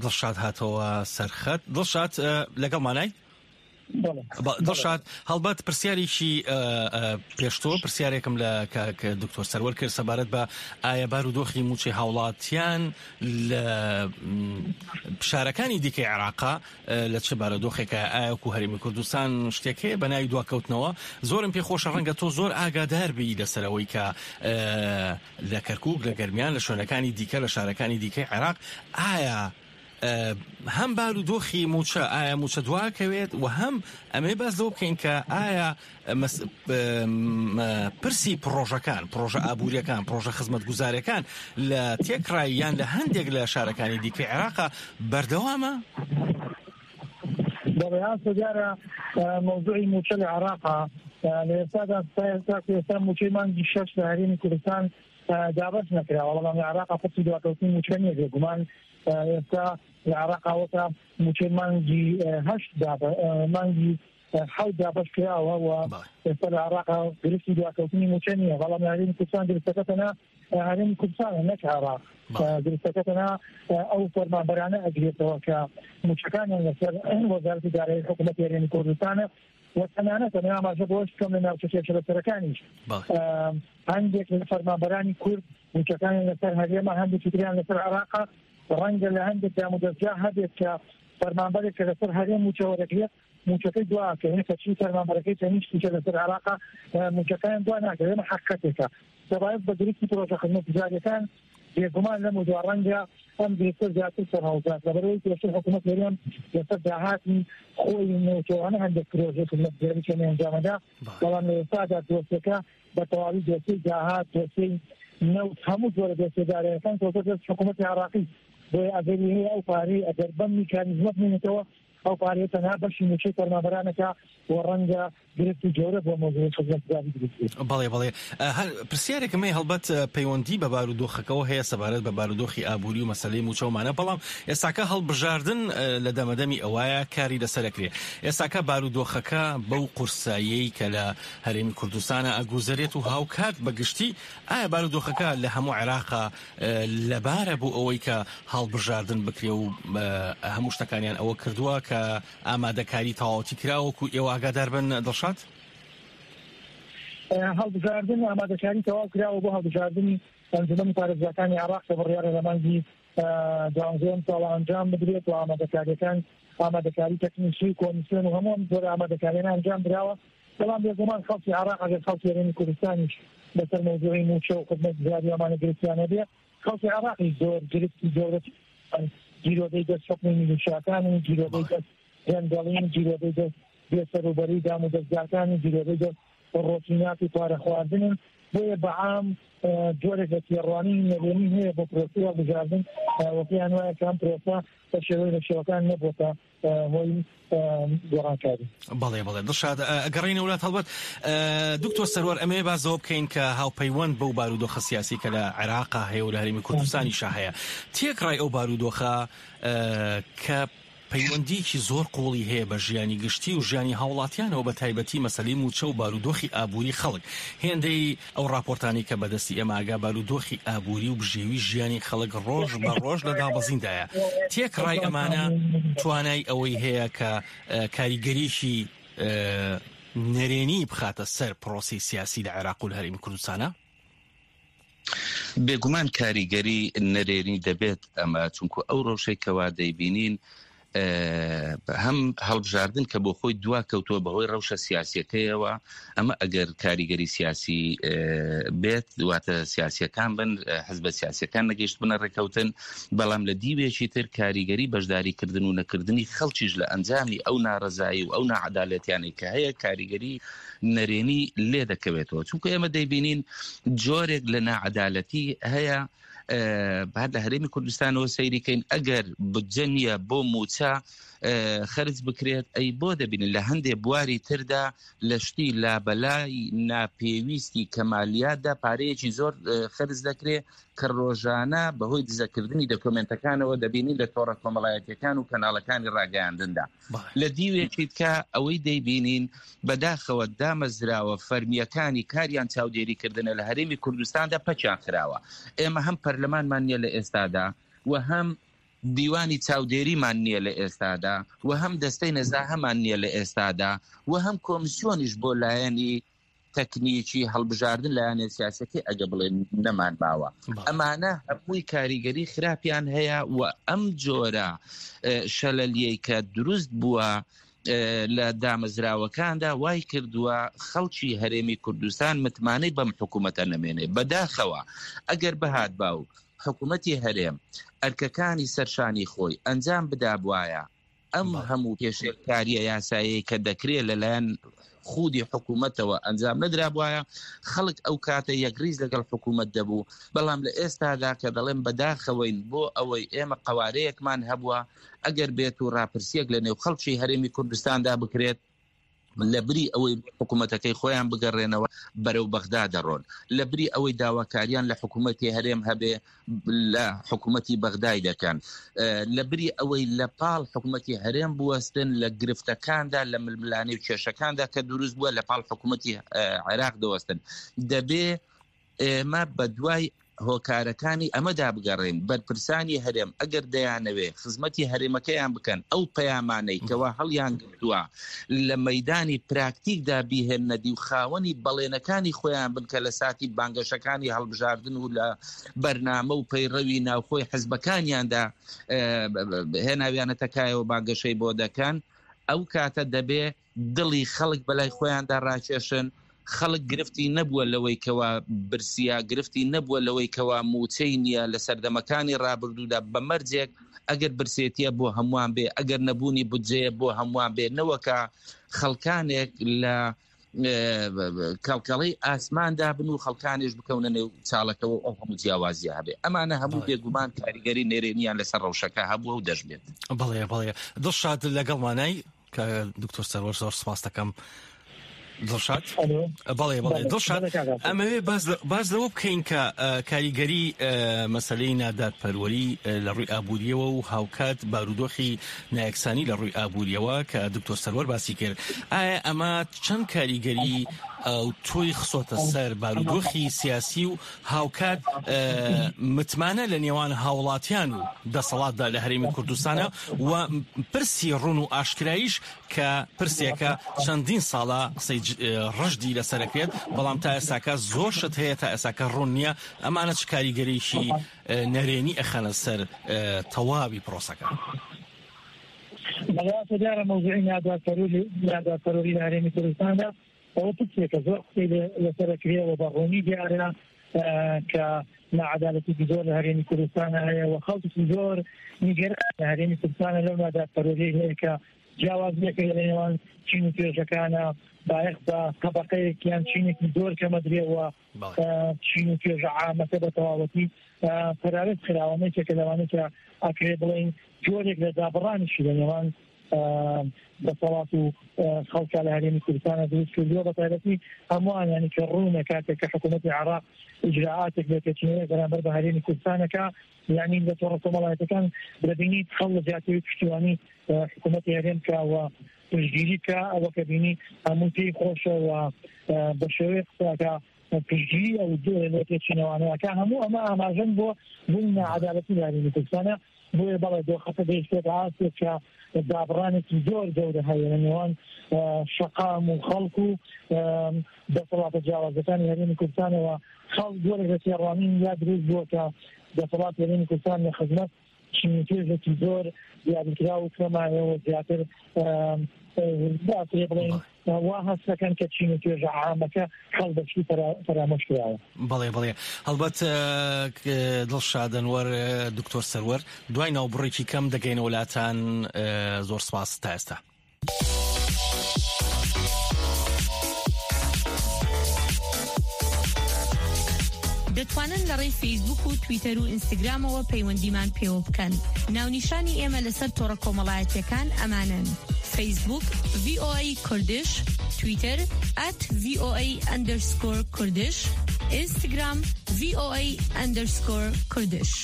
دڵشاد هاتەوە سەرخەت دڵشاد لەگەڵمانای؟ دڵشاد هەڵبەت پرسیارێکی پێش تۆ پرسیارێکم لە کاک دکتۆر سەروەر کرد سەبارەت بە ئایا بارودۆخی مووچەی هاوڵاتیان لە شارەکانی دیکەی عێراقا لە چ بارودۆخێکە ئایا وەکو هەرێمی کوردستان شتێک هەیە بە ناوی دواکەوتنەوە زۆرم پێخۆشە ڕەنگە تۆ زۆر ئاگادار بی لەسەرەوەی کە لە کەرکک لە گەرمیان لە شوێنەکانی دیکە لە شارەکانی دیکەی عێراق ئایا هەم بارودۆخی مووچە ئایا مووچە دواکەوێت و هەم ئەمێ باس لەوە بکەین کە ئایا پرسی پڕۆژەکان پڕۆژە ئابووریەکان پڕۆژە خزمەتگوزارەکان لە تێکڕای یان لە هەندێک لە شارەکانی دیکەی عێراقا بەردەوامە؟ بەڵێ ئاسۆ دیارە مەوزوعی مووچە لە عێراقا لە ئێستادا ئێستا مووچەی مانگی شەش لە هەرێمی کوردستان دابەش نەکراوە، بەڵام لە عێراق پرسی دواکەوتنی مووچە نییە، بێگومان ئێستا لە عێراق ئەوەتا مووچەی مانگی هەشت مانگی حەوت دابەش کراوە و ئێستا لە عێراق گرفتی دواکەوتنی مووچە نییە، بەڵام لە هەرێمی کوردستان گرفتەکە تەنها هەرێمی کوردستانە نەک عێراق، گرفتەکە تەنها ئەو فەرمانبەرانە ئەگرێتەوە کە مووچەکانیان لەسەر وەزارەتی دارایی حکوومەتی هەرێمی کوردستانە و تەنانەت ئەمە ئاماژە بەوەش بکەم لە ناوچە کێشە لەسەرەکانیش هەندێک لە فەرمانبەرانی کورد مووچەکانیان لەسەر هەرێمە هەندێکی تریان لەسەر عێراقە ڕەنگە لە هەندێک دامودەزگا هەبێت کە فەرمانبەرێک کە لەسەر هەرێم مووچە وەرەگرێت مووچەکەی دوا ئەکەوێت کەچی فەرمانبەرەکەی تەنیشتیشە لەسەر عێراقە مووچەکەیان دوا ناکەوێت ئەمە حەقیقەتێکە سەبارەت بە گرفتی پرۆژە خزمەتگوزارییەکان بێگومان لەم و دوا ڕەنگە ئەم گرفتە زیاتر سەرهەڵدات لەبەرئەوەی پێشتر حکوومەت هەرێم لەسەر داهاتی خۆی نەوتەوانە هەندێک پرۆژەی خزمەتگوزاری کەمی ئەنجامەدا بەڵام لە ئێستادا دۆسیەکە بە تەواوی دۆسیەی داهات دۆسیەی نەوت هەموو جۆرە دۆسیە دارایەکان کەوتە دەست حکوومەتی عێراقی بۆیە ئەگەری هەیە ئەو پارەی ئەگەر بەم میکانیزمە بمێنێتەوە ئەو پارەیە تەنها بەشی مووچەی فەرمانبەرانەکە و ڕەنگە گرفتی گەورە بۆ مەوزوعی خزمەتگوزاری دروست بێت. بەڵێ بەڵێ هەر پرسیارێکم هەیە هەڵبەت پەیوەندی بە بارودۆخەکەوە هەیە سەبارەت بە بارودۆخی ئابووری و مەسەلەی مووچە ومانە بەڵام ئێستاکە هەڵبژاردن لە دەمەدەمی ئەوایە کاری لەسەر ئەکرێ ئێستاکە بارودۆخەکە بەو قورساییەی کە لە هەرێمی کوردستانە ئەگوزەرێت و هاوکات بە گشتی ئایا بارودۆخەکە لە هەموو عێراقا لەبارە بۆ ئەوەی کە هەڵبژاردن بکرێ و هەموو شتەکانیان ئەوە کردووە کە ئامادەکاری تەواوەتی کرا وەکو ئێوە ئاگادار بن دڵشاد؟ هەڵبژاردن ئامادەکاری تەواو کراوە بۆ هەڵبژاردنی ئەنجومەنی پارێزگاکانی عێراق کە بڕیارە لە مانگی دوانزەیەم ساڵ ئەنجام بدرێت و ئامادەکاریەکان ئامادەکاری تەکنیکی و کۆمیسیۆن و هەموو ئەم جۆرە ئامادەکاریانە ئەنجام دراوە بەڵام بێگومان خەڵکی عێراق ئەگەر خەڵکی هەرێمی کوردستانیش لەسەر مەوزوعی مووچە و خزمەتگوزاری ئەمانە گرفتیان هەبێ خەڵکی عێراقیش زۆر گرفتی گەورە گیرۆدەی دەست حوکمی میلیشیاکان و گیرۆدەی دەست گەندەڵین گیرۆدەی دەست بێسەروبەری دام و دەزگاکان و گیرۆدەی دەست ڕۆتینات و پارە خواردنن بۆیە بەعام جۆرێک لە تێڕوانینی نەرێنی هەیە بۆ پرۆسەی هەڵبژاردن و پێیان وایە کە ئەم پرۆسە بە شێوەی لە شێوەکان نەبووەتە هۆی گۆڕانکاری. بەڵێ بەڵێ دڵشاد ئەگەڕێینە وڵات هەڵبەت دکتۆر سەروەر ئەمەوێ باس لەوە بکەین کە هاوپەیوەند بەو بارودۆخە سیاسی کە لە عێراقا هەیە و لە هەرێمی کوردستانیشا هەیە تێکڕای ئەو بارودۆخە کە پەیوەندییەکی زۆر قووڵی هەیە بە ژیانی گشتی و ژیانی هاوڵاتیانەوە بە تایبەتی مەسەلەی مووچە و بارودۆخی ئابووری خەڵک. هێندەی ئەو ڕاپۆرتانەی کە بەدەستی ئێمە ئەگا بارودۆخی ئابووری و بژێوی ژیانی خەڵک ڕۆژ بە ڕۆژ لە دابەزیندایە. تێکڕای ئەمانە توانای ئەوەی هەیە کە کاریگەریی نەرێنی بخاتە سەر پرۆسەی سیاسی لە عێراق و لە هەرێمی کوردستانا؟ بێگومان کاریگەری نەرێنی دەبێت ئەمە چونکو ئەو ڕەوشەی کەوا دەیبینین هەم هەڵبژاردن کە بۆ خۆی دوا کەوتووە بەهۆی ڕەوشە سیاسیەکەیەوە ئەمە ئەگەر کاریگەری سیاسی بێت واتە سیاسیەکان بن حزبە سیاسیەکان نەگەیشت بنە ڕێککەوتن بەڵام لە دیوێکی تر کاریگەری بەشداریکردن و نەکردنی خەڵکیش لە ئەنجامی ئەو ناڕەزایی و ئەو ناعەدالەتیانەی کە هەیە کاریگەری نەرێنی لێ دەکەوێتەوە چونکە ئێمە دەیبینین جۆرێک لە ناعەدالەتی هەیە هەر لە هەرێمی کوردستانەوە سەیریکەین ئەگەر بودجە نییە بۆ موچە خرج بکرێت ئەی بۆ دەبینن لە هەندێ بواری تردا لە شتی لابەلای ناپێویستی کەمالیاتدا پارەیەکی زۆر خرج دەکرێت کە ڕۆژانە بەهۆی دزەکردنی دەکۆمنتەکانەوە دەبینین لە تۆڕە کۆمەڵایەتیەکان و کەناڵەکانی ڕاگەیاندندا لە دیوێکی تکە ئەوەی دەیبینین بەداخەوە دامەزراوە فەرمییەکانی کاریان چاودێری کردنە لە هەرێمی کوردستاندا پەکیان خراوە. ئێمە هەم پەرلەمانمان نییە لە ئێستادا و هەم دیوانی چاودێریمان نییە لە ئێستادا و هەم دەستەی نەزاهەمان نییە لە ئێستادا و هەم کۆمسیۆنیش بۆ لایەنی تەکنیکی هەڵبژاردن لایەنە سیاسەکەی ئەگە بڵێن نەمان ماوە ئەمانە هەمووی کاریگەری خراپیان هەیە و ئەم جۆرە شەلەلیەی کە دروست بووە لە دامەزراوەکاندا وای کردووە خەڵکی هەرێمی کوردستان متمانەی بەم حکوومەتە نەمێنێ بەداخەوە ئەگەر بەهات باو حکوومەتی هەرێم ئەرکەکانی سەرشانی خۆی ئەنجام بدابواە ئەم هەموو پێشێلکارییە یاساییەی کە دەکرێت لەلایەن خودی حکوومەتەوە ئەنجام نەدرابوایە، خەڵک ئەو کاتە یەکڕیز لەگەڵ حکوومەت دەبوو، بەڵام لە ئێستادا کە دەڵێم بەداخەوەین بۆ ئەوەی ئێمە قەوارەیەکمان هەبووە، ئەگەر بێت و ڕاپرسییەک لە نێو خەڵکی هەرێمی کوردستاندا بکرێت، لە بری ئەوەی بۆ حکوومەتەکەی خۆیان بگەڕێنەوە بەرەو بەغدا دەڕۆن، لە بری ئەوەی داواکاریان لە حکوومەتی هەرێم هەبێ لە حکوومەتی بەغدای دەکەن، لە بری ئەوەی لە پاڵ حکوومەتی هەرێم بوەستن لە گرفتەکاندا لە ململانێ و کێشەکاندا کە دروست بووە لە پاڵ حکوومەتی عێراق دەوەستن. دەبێ ئێمە بە دوای. هۆکارەکانی ئەمەدا بگەڕێین، بەرپرسانی هەرێم ئەگەر دەیانەوێ خزمەتی هەرێمەکەیان بکەن، ئەو پەیامانەی کەوا هەڵیانگرتووە لە مەیدانی پراکتیکدا بیهێننە دی و خاوەنی بەڵێنەکانی خۆیان بن کە لە ساتی بانگەشەکانی هەڵبژاردن و لە بەرنامە و پەیڕەوی ناوخۆی حزبەکانیاندا هێناویانەتە کایەوە بانگەشەی بۆ دەکەن، ئەو کاتە دەبێ دڵی خەڵک بەلای خۆیاندا ڕاکێشن، خەڵک گرفتی نەبووە لەوەی کەوا برسیە، گرفتی نەبووە لەوەی کەوا مووچەی نییە لە سەردەمەکانی ڕابردوودا بە مەرجێک ئەگەر برسێتیە بۆ هەمووان بێ، ئەگەر نەبوونی بودجەیە بۆ هەمووان بێ، نەوەکا خەڵکانێک لە کەڵکەڵەی ئاسماندا بن و خەڵکانیش بکەونە نێو چاڵەکەوە ئەو هەموو جیاوازیە هەبێ ئەمانە هەموو بێگومان کاریگەری نەرێنیان لەسەر ڕەوشەکە هەبووە و دەشبێت. بەڵێ بەڵێ دڵشاد لەگەڵمانای کە دکتۆر سەروەر زۆر سپاس دەکەم دڵشاد بەڵێ بەڵێ دڵشاد ئەمەوێ باز لەوە بکەین کە کاریگەری مەسلەی نادادپەروەری لە ڕووی ئابووریەوە و هاوکات بارودۆخی نایەکسانی لە ڕووی ئابووریەوە کە دکتۆر سەروەر باسی کرد ئایا ئەمە چەند کاریگەری تۆی خسۆتە سەر بارودۆخی سیاسی و هاوکات متمانە لە نێوان هاوڵاتیان و دەسەڵاتدا لە هەرێمی کوردستانە و پرسی ڕون و ئاشکرایش کە پرسێکە چەندین ساڵە قسەی ڕژدی لەسەرەکرێت بەڵام تا ئێستاکە زۆر شت هەیە تا ئێستاکە ڕوون نییە ئەمانە چ کاریگەریی نەرێنی ئەخەنە سەر تەواوی پرۆسەکە؟ بەڵێ دیارە مەوزوعی نادادپەروەری لە هەرێمی کوردستاندا ئەوە پرسێکە زۆر قسەی لەسەر ئەکرێ و بە ڕوونی دیارە کە ناعەدالەتێکی زۆر لە هەرێمی کوردستانە هەیە و خەڵکێکی زۆر نیگەران لە هەرێمی کوردستانە لەو نادادپەروەریەی هەیە کە جیاوازیەک هەیە لە نێوان چین و توێژەکانە بایەخ بە تەبەقەیەک یان چینێکی زۆر کەمەدرێ و چین و توێژە عامەکە بە تەواوەتی پەراوێز خراوە. یەکێکە لەوانەی کە ئەکرێ بڵێین جۆرێک لە دابڕانیشی لە نێوان دەسەڵات و خەڵکە لە هەرێمی کوردستانە دروست کردووە، بە تایبەتی هەمووان ینی کە ڕوونە کاتێک کە حکوومەتی عێراق ئیجرائاتێک لێپێچینەوەی بەرامبەر بە هەرێمی کوردستانەکە، یعنی لە تۆڕە کۆمەڵایەتەکان دەبینیت خەڵ لە جیاتی پشتیوانی حکوومەتی هەرێم کە و پشتگیری بکە، ئەوە کە بینی هەموو پێی خۆشە و بە شێوەیەک قسەکە پشتگیری ئەو لێپێچینەوانەکە، هەموو ئەمە ئاماژەن بۆ بوونی ناعەدالەتی لە هەرێمی کوردستانە. بۆیە بەڵێ دۆخەکە گەیشتێتە ئاستێک کە دابڕانێکی زۆر گەورە هەیە لە نێوان شەقام و خەڵک و دەسەڵاتە جیاوازەکانی هەرێمی کوردستانەوە. خەڵک جۆرێک لە تێڕوانین یا دروست بووە کە دەسەڵاتی هەرێمی کوردستان لە خزمەت چین و توێژێکی زۆر دیاریکراو و کەمایەوە زیاتر باترێ بڵێین وا هەست دەکەن کە چین و توێژە عامەکە خەڵک بە گشتی فەرامۆش کراوە. بەڵێ بەڵێ هەڵبەت دڵشاد ئەنوەر دکتۆر سەروەر دوای ناوبڕێکی کەم دەگەینەوە لاتان زۆر سپاس تا ئێستا. دەتوانن لە ڕێی فەیسبوک و تویتەر و ئینستاگرامەوە پەیوەندیمان پێوە بکەن. ناونیشانی ئێمە لەسەر تۆڕە کۆمەڵایەتیەکان ئەمانەن، فەیسبوک، VOA Kurdish، تویتەر، at VOA underscore Kurdish، ئینستاگرام، VOA underscore Kurdish.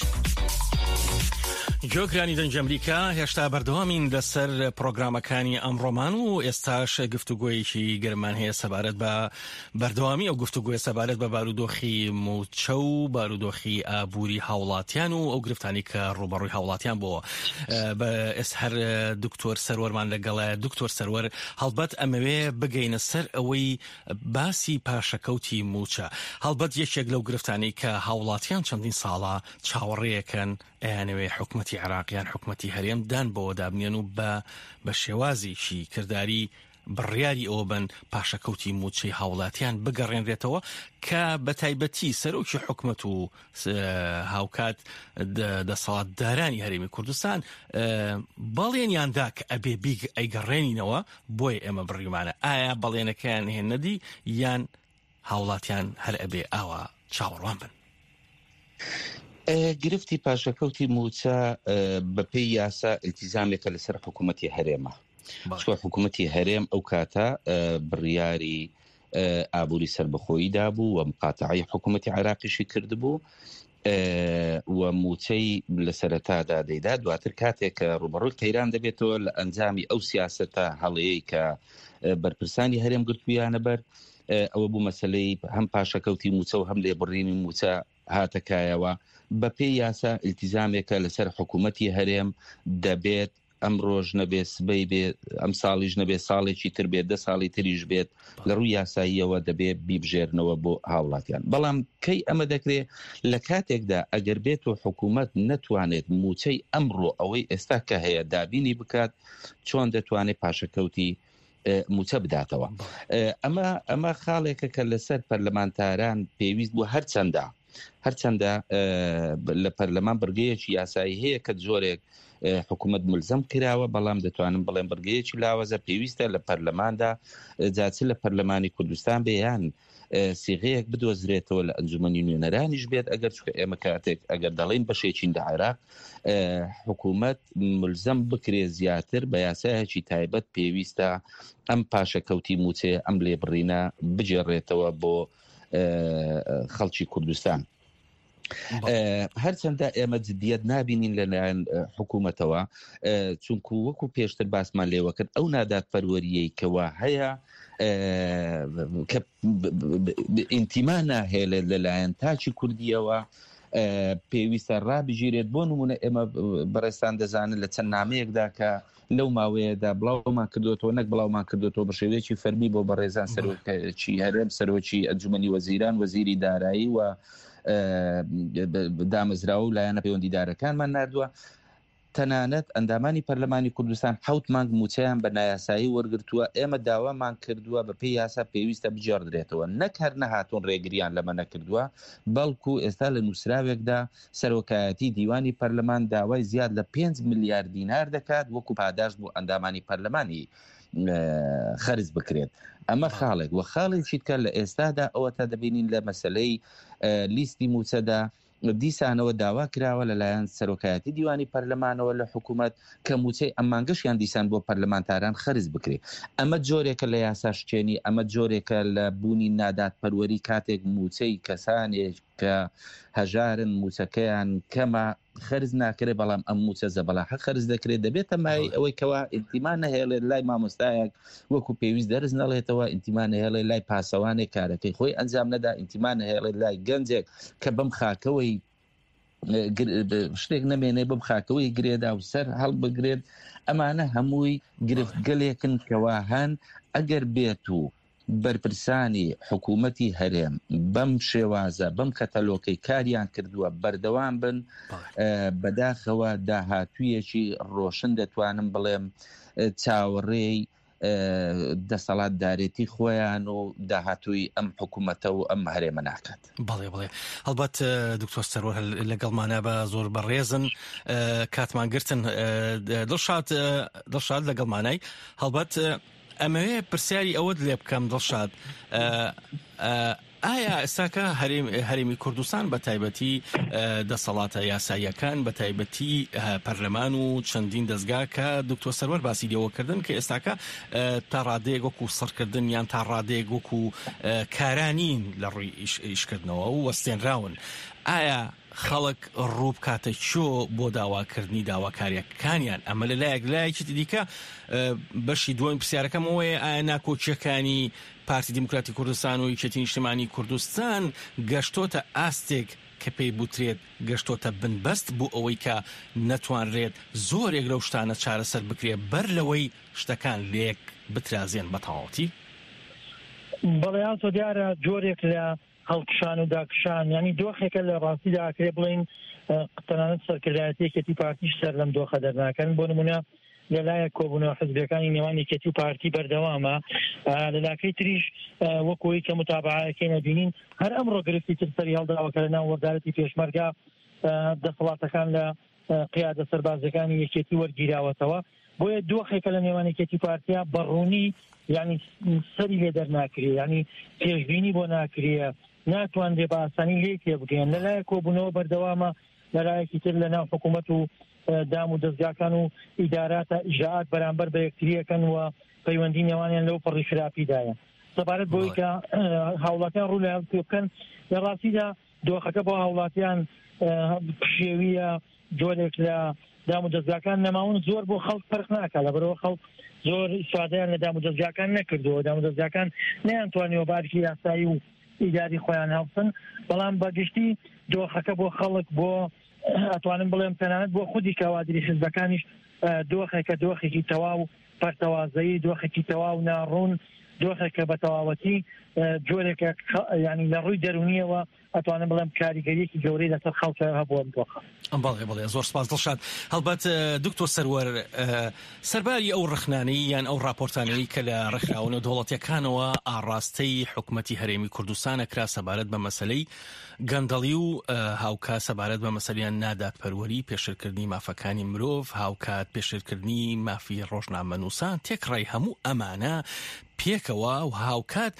گوێگرانی دەنگی ئەمریکا هێشتا بەردەوامین لەسەر پرۆگرامەکانی ئەمڕۆمان و ئێستاش گفتوگۆیەکی گەرمان هەیە سەبارەت بە بەردەوامی ئەو گفتوگۆیە سەبارەت بە بارودۆخی مووچە و بارودۆخی ئابووری هاوڵاتیان و ئەو گرفتانی کە ڕووبەڕووی هاوڵاتیان بۆ بە ئێس هەر دکتۆر سەروەرمان لەگەڵە دکتۆر سەروەر هەڵبەت ئەمەوێ بگەینە سەر ئەوەی باسی پاشەکەوتی مووچە هەڵبەت یەکێک لەو گرفتانی کە هاوڵاتیان چەندین ساڵە چاوەڕێیەکەن ئەیانەوێ حکومەتی عێراق یان حکومەتی هەرێم دان بەوە دابنێن و بە بە شێوازێکی کرداری بڕیاری ئەوە بەن پاشەکەوتی مووچەی هاوڵاتیان بگەڕێنرێتەوە کە بە تایبەتی سەرۆکی حکومەت و هاوکات دەسەڵاتدارانی هەرێمی کوردستان بەڵێنیان دا کە ئەبێ بیگ ئەیگەڕێنینەوە بۆیە ئێمە بڕیمانە ئایا بەڵێنەکەیان هێنەدی یان هاوڵاتیان هەر ئەبێ ئاوا چاوەڕوان بن؟ گرفتی پاشەکەوتی مووچە بەپێی یاسا ئیلتیزامێکە لەسەر حکوومەتی هەرێمە چوە حکوومەتی هەرێم ئەو کاتە بڕیاری ئابووری سربەخۆیی دابوو و مقاتعی حکوومەتی عێراقیشی کردبوو و مووچەی لە سەرەتادا دەیدا دواتر کاتێک کە ڕوبەڕووی قەیران دەبێتەوە لە ئەنجامی ئەو سیاستە هەڵەیە کە بەرپرسانی هەرێم گرتویانە بەر ئەوە بوو مەسلەی هەم پاشەکەوتی موچە و هەم لێبڕینی موچە. هاتە کایەوە، بەپێی یاسا ئیلتیزامێکە لەسەر حکوومەتی هەرێم دەبێت ئەمڕۆش نەبێ سبەی بێ ئەم ساڵیش نەبێ ساڵێکی تر بێت دە ساڵی تریش بێت لە ڕووی یاساییەوە دەبێ بیبژێرنەوە بۆ هاوڵاتیان بەڵام کەی ئەمە دەکرێ لە کاتێکدا ئەگەر بێت و حکوومەت نەتوانێت مووچەی ئەمڕۆ ئەوەی ئێستا کە هەیە دابینی بکات چۆن دەتوانێت پاشەکەوتی موچە بداتەوە ئەمە ئەمە خاڵێکە کە لەسەر پەرلەمانتاران پێویست بوو هەرچەندە هەرچەندە لە پەرلەمان بڕگەیەکی یاسایی هەیە کە جۆرێک حکوومەت ملزم کراوە بەڵام دەتوانم بڵێم بڕگەیەکی لاوەزە پێویستە لە پەرلەماندا جاچ لە پەرلەمانی کوردستان بێیان سیغەیەک بدۆزرێتەوە لە ئەنجومەنی نوێنەرانیش بێت ئەگەر چکە ئێمە کاتێک ئەگەر دەڵێن بەشێکین لە عێراق حکوومەت ملزم بکرێ زیاتر بە یاسایەکی تایبەت پێویستە ئەم پاشەکەوتی موچێ ئەم لێبڕینە بگێڕێتەوە بۆ خەڵکی کوردستان. هەرچەندە ئێمە جدیت نابینین لەلایەن حکوومەتەوە چونکو وەکو پێشتر باسمان لێوە کرد ئەو نادادپەروەریەی کەوا هەیە کە ئینتیما ناهێڵێت لەلایەن تاکی کوردیەوە پێویستە ڕابگیرێت بۆ نمونە ئێمە بەڕێستان دەزانن لە چەند نامەیەکدا کە لەو ماوەیەدا بڵاومان کردوێتەوە نەک بڵاومان کردوێتەوە بە شێوەیەکی فەرمی بۆ بەڕێزان سەرۆکی هەرێم سەرۆکی ئەنجومەنی وەزیران وەزیری دارایی و دامەزراوە و لایەنە پەیوەندیدارەکانمان نردووە تەنانەت ئەندامانی پەرلەمانی کوردستان حوت مانگ موچەیان بە نایاسایی وەرگتووە ئێمە داوامان کردووە بە پێی یاسا پێویستە بگێڕدرێتەوە نەک هەر نەهاتون ڕێگریان لەمە نەکردووە بەڵکو ئێستا لە نووسراوێکدا سەرۆکایەتی دیوانی پەرلەمان داوای زیاد لە 5 ملیار دینار دەکات وەکو پاداشت بۆ ئەندامانی پەرلەمانی خەرج بکرێت ئەمە خاڵێک وە خاڵێکی تکە لە ئێستادا ئەوە تا دەبینین لە مەسلەی لیستی موچەدا دیسانەوە داوا کراوە لەلایەن سەرۆکایەتی دیوانی پەرلەمانەوە لە حکوومەت کە موچەی ئەم مانگەشیان دیسان بۆ پەرلەمانتاران خەرج بکرێت ئەمە جۆرێکە لە یاساشکێنی ئەمە جۆرێکە لە بوونی نادادپەروەری کاتێک موچەی کەسانێک کە هەژارن موچەکەیان کەمە خەرج ناکرێت بەڵام ئەم موچە زەبەلاحە خەرج دەکرێت دەبێتە مای ئەوەی کەوا ئینتیما نەهێڵێت لای مامۆستایەک وەکو پێویست دەرس نەڵێتەوە ئینتیما نەهێڵێت لای پاسەوانێک کارەکەی خۆی ئەنجام نەدا ئینتیما نەهێڵێت لای گەنجێک کە بەم خاکەوەی شتێک نەمێنێ بەم خاکەوەی گرێدا و سەر هەڵبگرێت ئەمانە هەمووی گرفتگەلێکن کەوا هەن ئەگەر بێت و بەرپرسانی حکوومەتی هەرێم بەم شێوازە بەم کەتەلۆکەی کاریان کردووە بەردەوام بن بەداخەوە داهاتوویەکی ڕۆشن دەتوانم بڵێم چاوەڕێی دەسەڵاتدارێتی خۆیان و داهاتووی ئەم حکوومەتە و ئەم هەرێمە ناکات. بەڵێ بڵێ هەڵبەت دکتۆر سەروەر لەگەڵمانە بە زۆر بەڕێزن کاتمان گرتن دڵشاد دڵشاد لەگەڵمانای هەڵبەت ئەمەوێ پرسیاری ئەوەت لێ بکەم دڵشاد ئایا ئێستاکە هەرێمی کوردستان بە تایبەتی دەسەڵاتە یاساییەکان بە تایبەتی پەرلەمان و چەندین دەستگا کە دکتۆر سەروەر باسی لێوەکردن کە ئێستاکە تا ڕادەیەک وەکو سڕکردن یان تا ڕادەیەک وەکو کارانین لە ڕووی ئیشکردنەوە و وەستێنراون ئایا خەڵک ڕوو بکاتە کوێ بۆ داواکردنی داواکارییەکانیان؟ ئەمە لە لایەک، لایەکی دیکە بەشی دووەمی پرسیارەکەم ئەوەیە ئایا ناکۆکییەکانی پارتی دیموکراتی کوردستان و یەکێتی نیشتمانی کوردستان گەشتۆتە ئاستێک کە پێی بوترێت گەشتۆتە بنبەست بۆ ئەوەی کە نەتوانرێت زۆرێک لەو شتانە چارەسەر بکرێت بەر لەوەی شتەکان لێک بترازێن بە تەواوەتی؟ بەڵێ ئاسۆ دیارە جۆرێک لە هەڵکشان و داکشان یانی دۆخێکە لە ڕاستیدا ئەکرێ بڵێین تەنانەت سەرکردایەتی یەکێتی پارتیش سەر لەم دۆخە دەرناکەن بۆ نمونە لەلایەک کۆبوونەوە حزبیەکانی نێوان یەکێتی و پارتی بەردەوامە لە لاکەی تریش وەکوی کە متابعەکەی نەبینین هەر ئەمڕۆ گرفتی تر سەری هەڵداوە کە لە ناو وەزارەتی پێشمەرگە دەسەڵاتەکان لە قیادە سەربازیەکانی یەکێتی وەرگیراوەتەوە بۆیە دۆخێکە لە نێوان یەکێتی پارتیا بەڕوونی یعنی سەری لێ دەرناکرێ یعنی پێشبینی بۆ ناکرێ ناتوانرێ بە ئاسانی لێ تێبگەین لەلایەک کۆبوونەوە بەردەوامە لەلایەکی تر لە ناو حکوومەت و دام و دەستگاکان و ئیداراتە ئیجرائات بەرامبەر بە یەکتریەکەن و پەیوەندی نێوانیان لەو پەڕی خراپیدایە سەبارەت بۆی کە هاوڵاتیان ڕوو لە بکەن لە ڕاستیدا دۆخەکە بۆ هاوڵاتیان پشێویە، جۆرێک لە دام و دەزگاکان نەماون زۆر بۆ خەڵک فەرق ناکات لەبەرەوە خەڵک زۆر ئیسفادەیان لە دام و دەزگاکان نەکردووە دام و دەزگاکان نەیانتوانیوە بارکی یاسایی و ئیداری خۆیان هەڵسن بەڵام بەگشتی. دۆخەکە بۆ خەڵک بۆ ئەتوانم بڵێم تەنانەت بۆ خودی کەوادری حزبەکانیش دۆخێکە دۆخێکی تەواو پەرتەوازەیی دۆخێکی تەواو ناڕوون دۆخێکە بە تەواوەتی جۆرێکە ینی لە ڕووی دەرونیەوە ئەتوانم بڵێم کاریگەریەکی گەورەی لەسەر خەڵکە هەبووە ئەم دۆخە. بەڵێ بەڵێ زۆر سپاس دڵشاد. هەڵبەت دکتۆر سەروەر سەرباری ئەو ڕەخنانەی یان ئەو ڕاپۆرتانەی کە لە ڕێکخراوە نێودەوڵەتیەکانەوە ئاڕاستەی حکومەتی هەرێمی کوردستان ئەکرا سەبارەت بە مەسەلەی گەندەڵی و هاوکات سەبارەت بە مەسەلیان نادادپەروەری پێشێلکردنی مافەکانی مرۆڤ هاوکات پێشێلکردنی مافی ڕۆژنامەنووسان تێکڕای هەموو ئەمانە پێکەوە و هاوکات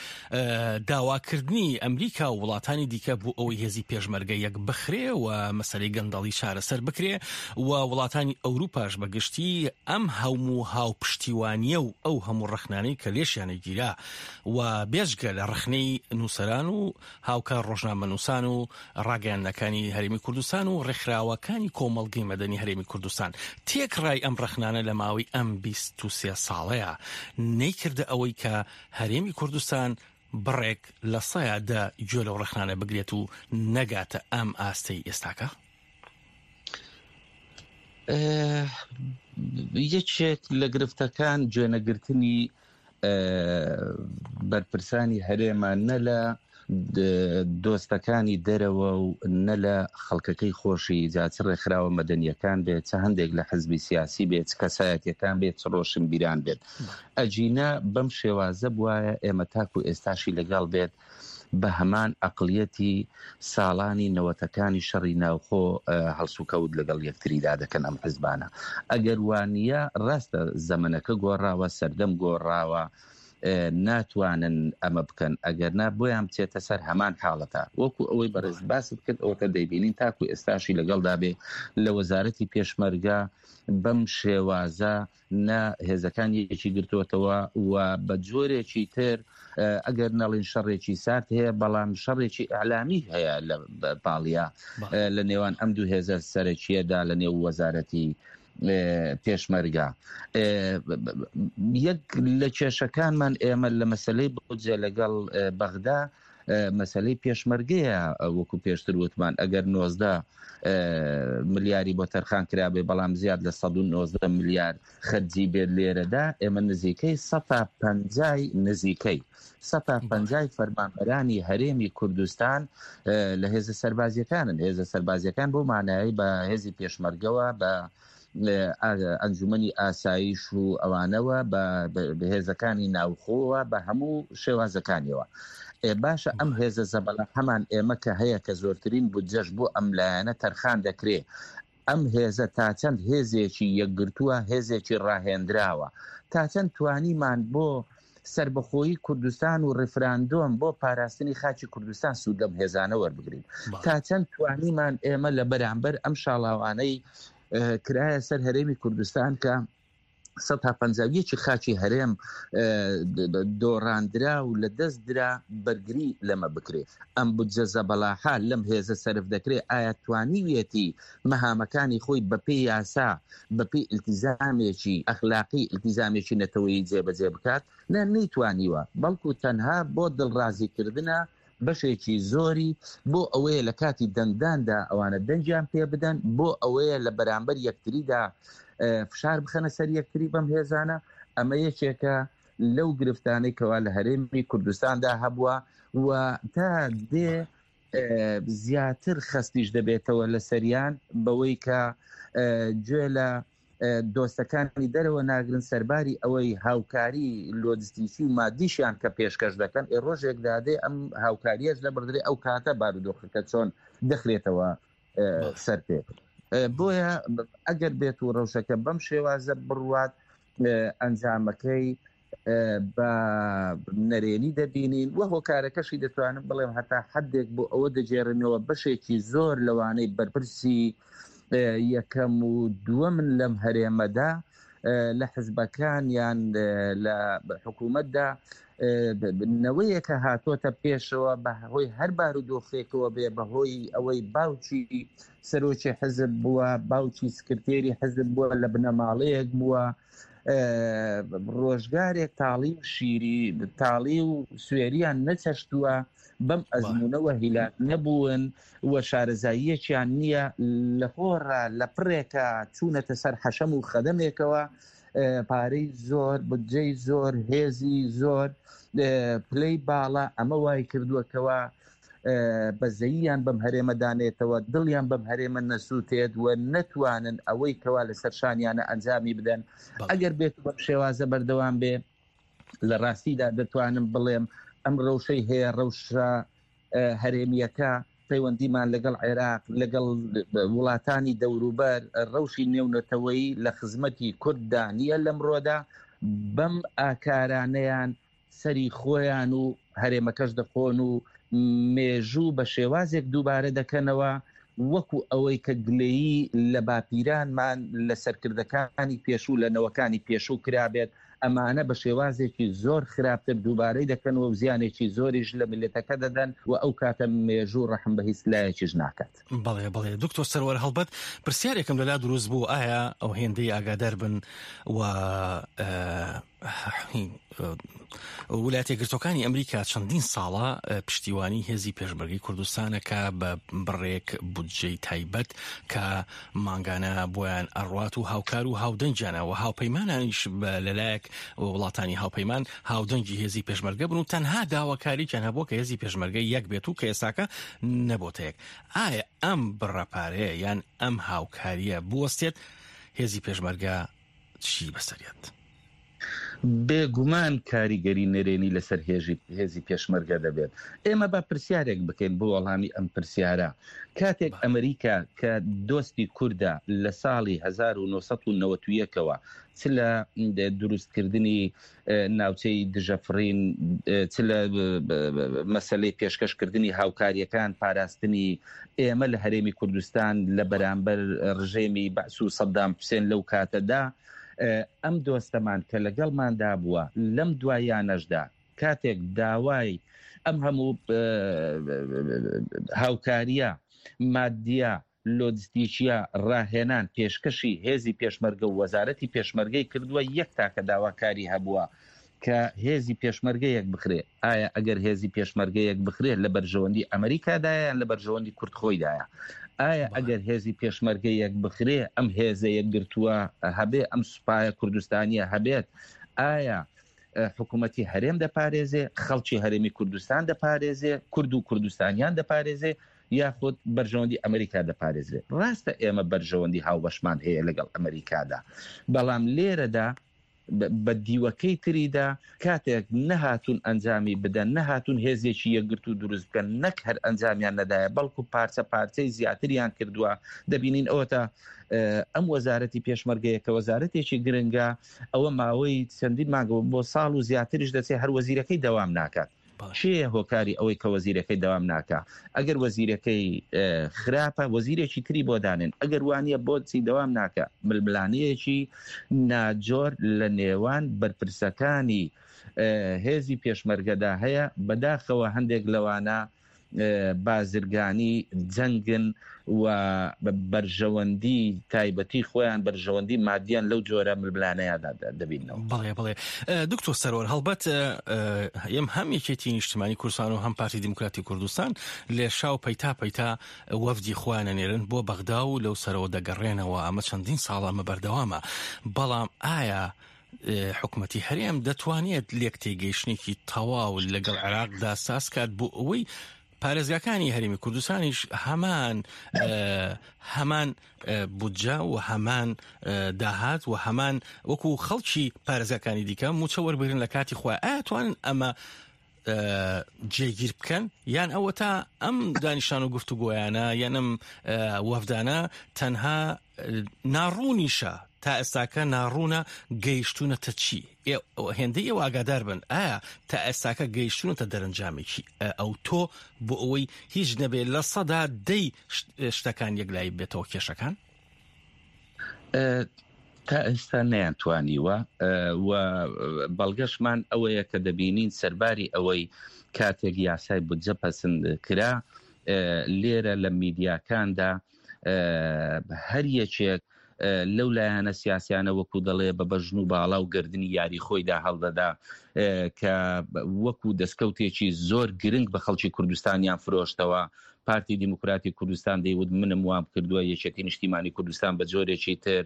داواکردنی ئەمریکا و وڵاتانی دیکە بۆ ئەوەی هێزی پێشمەرگە یەک بخرێ و مەسەلەی گەندەڵی چارەسەر بکرێ و وڵاتانی ئەوروپاش بە گشتی ئەم هەموو هاوپشتیوانیە و ئەو هەموو ڕەخنانەی کە لێشیانە گیرا و بێجگە لە ڕەخنەی نووسەران و هاوکار ڕۆژنامەنووسان و ڕاگەیاندنەکانی هەرێمی کوردستان و ڕێکخراوەکانی کۆمەڵگەی مەدەنی هەرێمی کوردستان تێکڕای ئەم ڕەخنانە لە ماوەی ئەم 23 ساڵەیە نەیکردە ئەوەی کە هەرێمی کوردستان بڕێک لە سەیا دە گوێ لەو ڕەخنانە بگرێت و نەگاتە ئەم ئاستەی ئێستاکە؟ یەکێک لە گرفتەکان گوێنەگرتنی بەرپرسانی هەرێمە نە لە دۆستەکانی دەرەوە و نە لە خەڵکەکەی خۆشی جا چ ڕێکخراوە مەدەنیەکان بێت چ هەندێک لە حزبی سیاسی بێت چ کەسایەتیەکان بێت چ ڕۆشنبیران بێت ئەگینا بەم شێوازە بوایە ئێمە تاکو ئێستاشی لەگەڵ بێت بە هەمان ئەقڵیەتی ساڵانی نەوەتەکانی شەڕی ناوخۆ هەڵسوکەوت لەگەڵ یەکتریدا دەکەن ئەم حزبانە. ئەگەر وانییە ڕاستە زەمەنەکە گۆڕاوە، سەردەم گۆڕاوە، ناتوانن ئەمە بکەن، ئەگەر نا بۆیان بچێتە سەر هەمان حاڵەتە. وەکو ئەوەی بەڕێزت باست کرد ئەوەتە دەیبینین تاکو ئێستاشی لەگەڵدا بێ لە وەزارەتی پێشمەرگە بەم شێوازە نە هێزەکانی یەکی گرتووەتەوە و بە جۆرێکی تر ئەگەر نەڵین شەڕێکی سارد هەیە بەڵام شەڕێکی ئیعلامی هەیە لە پاڵیا لە نێوان ئەم دوو هێزە سەرەکیەدا لە نێو وەزارەتی پێشمەرگە یەک لە کێشەکانمان ئێمە لە مەسلەی بودجە لەگەڵ بەغدا مەسەلەی پێشمەرگەیە وەکو پێشتر وتمان ئەگەر 19 ملیاری بۆ تەرخان کرابێ بەڵام زیاد لە 119 ملیار خەرجی بێت لێرەدا ئێمە نزیکەی 150 نزیکەی 150 فەرمانبەرانی هەرێمی کوردستان لە هێزە سەربازیەکانن هێزە سەربازیەکان بۆ مانایی بە هێزی پێشمەرگەوە بە ئەنجومەنی ئاسایش و ئەوانەوە بە هێزەکانی ناوخۆوە بە هەموو شێوازەکانیەوە. ئێ باشە ئەم هێزە زەبەلاحەمان ئێمە کە هەیە کە زۆرترین بودجەش بۆ ئەم لایەنە تەرخان دەکرێ ئەم هێزە تا چەند هێزێکی یەکگرتووە هێزێکی ڕاهێنراوە تا چەند توانیمان بۆ سەربەخۆیی کوردستان و ڕیفراندۆم بۆ پاراستنی خاکی کوردستان سوود لەم هێزانە وەربگرین تا چەند توانیمان ئێمە لە بەرامبەر ئەم شاڵاوانەی کرایە سەر هەرێمی کوردستان کە 151 خاکی هەرێم دۆڕاندرا و لە دەست درا بەرگری لەمە بکرێ ئەم بودجە زەبەلاحە لەم هێزە سەرف دەکرێ ئایا توانیویەتی مەهامەکانی خۆی بەپێی یاسا، بەپێی ئیلتیزامێکی ئەخلاقی، ئیلتیزامێکی نەتەوەیی جێبەجێ بکات؟ نا، نەیتوانیوە، بەڵکو تەنها بۆ دڵڕازیکردنە بەشێکی زۆری، بۆ ئەوەیە لە کاتی دەنگداندا ئەوانە دەنگیان پێ بدەن، بۆ ئەوەیە لە بەرامبەر یەکتریدا فشار بخەنە سەر یەکتری بەم هێزانە، ئەمە یەکێکە لەو گرفتانەی کەوا لە هەرێمی کوردستاندا هەبووە و تا دێ زیاتر خەستیش دەبێتەوە لەسەریان بەوەی کە گوێ لە دۆستەکانی دەرەوە ناگرن سەرباری ئەوەی هاوکاری لۆجستیکی و مادیشیان کە پێشکەش دەکەن ئێ ڕۆژێک دادێ ئەم هاوکاریەش لەبڕدرێ ئەو کاتە بارودۆخەکە چۆن دەخرێتەوە سەر پێ بۆیە ئەگەر بێت و ڕەوشەکە بەم شێوازە بڕوات ئەنجامەکەی بە نەرێنی دەبینین و هۆکارەکەشی دەتوانم بڵێم هەتا حدێک بۆ ئەوە دەگێڕنەوە بەشێکی زۆر لەوانەی بەرپرسی یەکەم و دووەمن لەم هەرێمەدا لە حزبەکان یان لە حکوومەتدا نەوەیەکە هاتۆتە پێشەوە بە هۆی هەر بارودۆخێکەوە بێ بەهۆی ئەوەی باوکی سەرۆکی حزب بووە باوکی سکرتێری حزب بووە لە بنەماڵەیەک بووە. ڕۆژگارێک تاڵی و شیری تاڵی و سوێریان نەچەشتووە بەم ئەزمونەوە هیلاک نەبوون و شارەزاییەکیان نییە لە خۆڕا لە پڕێکە چوونەتە سەر حەشەم و خەدەمێکەوە پارەی زۆر بودجەی زۆر هێزی زۆر پلەی باڵا ئەمە وای کردووە کەوا بەزەییان بەم هەرێمە دانێتەوە دڵیان بەم هەرێمە نەسووتێت و نەتوانن ئەوەی کەوا لەسەر شانیانە ئەنجامی بدەن ئەگەر بێت بەم شێوازە بەردەوام بێ لە ڕاستیدا دەتوانم بڵێم ئەم ڕەوشەی هەیە ڕەوشە هەرێمییەکە، پەیوەندیمان لەگەڵ عێراق، لەگەڵ وڵاتانی دەوروبەر، ڕەوشی نێونەتەوەیی لە خزمەتی کورددا نییە لەمڕۆدا، بەم ئاکارانەیان سەری خۆیان و هەرێمەکەش دەخۆن و مێژوو بە شێوازێک دووبارە دەکەنەوە وەکو ئەوەی کە گلەیی لە باپیرانمان، لە سەرکردەکانی پێشوو، لە نەوەکانی پێشوو کرابێت، ئەمانە بە شێوازێکی زۆر خراپتر دووبارەی دەکەنەوە و زیانێکی زۆریش لە میللەتەکە دەدەن و ئەو کاتە مێژوو ڕەحم بە هیچ لایەکیش ناکات. بەڵێ بەڵێ دکتۆر سەروەر هەڵبەت پرسیارێکم لەلا دروست بوو ئایا ئەو هێندەی ئاگادار بن و ولایەتە یەکگرتووەکانی ئەمریکا چەندین ساڵە پشتیوانی هێزی پێشمەرگەی کوردستانە کە بە بڕێک بودجەی تایبەت کە مانگانە بۆیان ئەڕوات و هاوکار و هاودەنگیانە و هاوپەیمانانیش لەلایەک وڵاتانی هاوپەیمان هاودەنگی هێزی پێشمەرگە بن و تەنها داواکاریان هەبووە کە هێزی پێشمەرگە یەک بێت و کە ئێستاکە نەبۆتە یەک. ئایا ئەم بڕە پارەیە یان ئەم هاوکاریە بوەستێت هێزی پێشمەرگە چی بەسەریەت؟ بێ گومان کاریگەری نەرێنی لەسەر هێزی پێشمەرگە دەبێت. ئێمە با پرسیارێک بکەین بۆ وەڵامی ئەم پرسیارە. کاتێک ئەمریکا کە دۆستی کوردە لە ساڵی 1991 ەوە چ لە دروستکردنی ناوچەی دژەفڕین چ لە مەسەلەی پێشکەشکردنی هاوکارییەکان پاراستنی ئێمە لە هەرێمی کوردستان لە بەرامبەر ڕژێمی بەعس و سەدام حوسێن لەو کاتەدا ئەم دۆستەمان کە لەگەڵماندا بووە لەم دواییانەشدا کاتێک داوای ئەم هەموو هاوکارییە مادیە لۆجستیکیە ڕاهێنان پێشکەشی هێزی پێشمەرگە و وەزارەتی پێشمەرگەی کردووە یەک تاکە داواکاری هەبووە کە هێزی پێشمەرگە یەک بخرێ ئایا ئەگەر هێزی پێشمەرگە یەک بخرێ لە بەرژەوەندی ئەمریکادایە یان لە بەرژەوەندی کورد خۆیدایە؟ ئایا ئەگەر هێزی پێشمەرگە یەک بخرێ ئەم هێزە یەکگرتووە هەبێ ئەم سوپایە کوردستانیە هەبێت ئایا حکوومەتی هەرێم دەپارێزێ خەڵکی هەرێمی کوردستان دەپارێزێ کورد و کوردستانیان دەپارێزێ یاخود بەرژەوەندی ئەمریکا دەپارێزرێت ڕاستە ئێمە بەرژەوەندی هاوبەشمان هەیە لەگەڵ ئەمریکادا بەڵام لێرەدا بە دیوەکەی تریدا کاتێک نەهاتوون ئەنجامی بدەن، نەهاتوون هێزێکی یەکگرتوو دروست بکەن، نەک هەر ئەنجامیان نەدایە، بەڵکو پارچە پارچەی زیاتریان کردووە، دەبینین ئەوەتا ئەم وەزارەتی پێشمەرگەیە کە وەزارەتێکی گرنگە، ئەوە ماوەی چەندین مانگ بۆ ساڵ و زیاتریش دەچێت هەر وەزیرەکەی دەوام ناکات. کێیە هۆکاری ئەوەی کە وەزیرەکەی دەوام ناکا؟ ئەگەر وەزیرەکەی خراپە وەزیرێکی تری بۆ دانێن، ئەگەر وانیە بۆچی دەوام ناکا؟ ململانێیەکی ناجۆر لە نێوان بەرپرسەکانی هێزی پێشمەرگەدا هەیە، بەداخەوە هەندێک لەوانە بازرگانی جەنگن و بەرژەوەندی تایبەتی خۆیان بەرژەوەندی مادیان لەو جۆرە ململانێیاندا دەبیننەوە. بەڵێ بەڵێ دکتۆر سەروەر هەڵبەت ئێم هەم یەکێتی نیشتمانی کوردستان و هەم پارتی دیموکراتی کوردستان لێشاو پەیتا پەیتا وەفدی خۆیان ئەنێرن بۆ بەغدا و لەو سەرەوە دەگەڕێنەوە ئەمە چەندین ساڵە ئەمە بەردەوامە بەڵام ئایا حکومەتی هەرێم دەتوانێت لێک تێگەیشتنێکی تەواو لەگەڵ عێراقدا ساز کات بۆ ئەوەی پارێزگاکانی هەرێمی کوردستانیش هەمان هەمان بودجە و هەمان داهات و هەمان وەکو خەڵکی پارێزگاکانی دیکە موچە وەربگرن لە کاتی خۆی ئایا توانن ئەمە جێگیر بکەن یان ئەوەتا ئەم دانیشان و گفتوگۆیانە یان ئەم وەفدانە تەنها ناڕوونیشە تا ئێستاکە ناڕوونە گەیشتوونەتە چی هێندەی ئێوە ئاگادار بن ئایا تا ئێستاکە گەیشتوونەتە دەرەنجامێکی ئەو تۆ بۆ ئەوەی هیچ نەبێت لە سەدا دەی شتەکان یەکلایی بێتەوە کێشەکان؟ تا ئێستا نەیانتوانیوە و بەڵگەشمان ئەوەیە کە دەبینین سەرباری ئەوەی کاتێک یاسای بودجە پەسند کرا لێرە لە میدیاکاندا هەر یەکێک لەو لایەنە سیاسیانە وەکو دەڵێ بە بەژن و باڵا و گردنی یاری خۆیدا هەڵدەدا کە وەکو دەستکەوتێکی زۆر گرنگ بە خەڵکی کوردستانیان فرۆشتەوە. پارتی دیموکراتی کوردستان دەیوت منم وام کردووە، یەکێتی نیشتیمانی کوردستان بە جۆرێکی تر،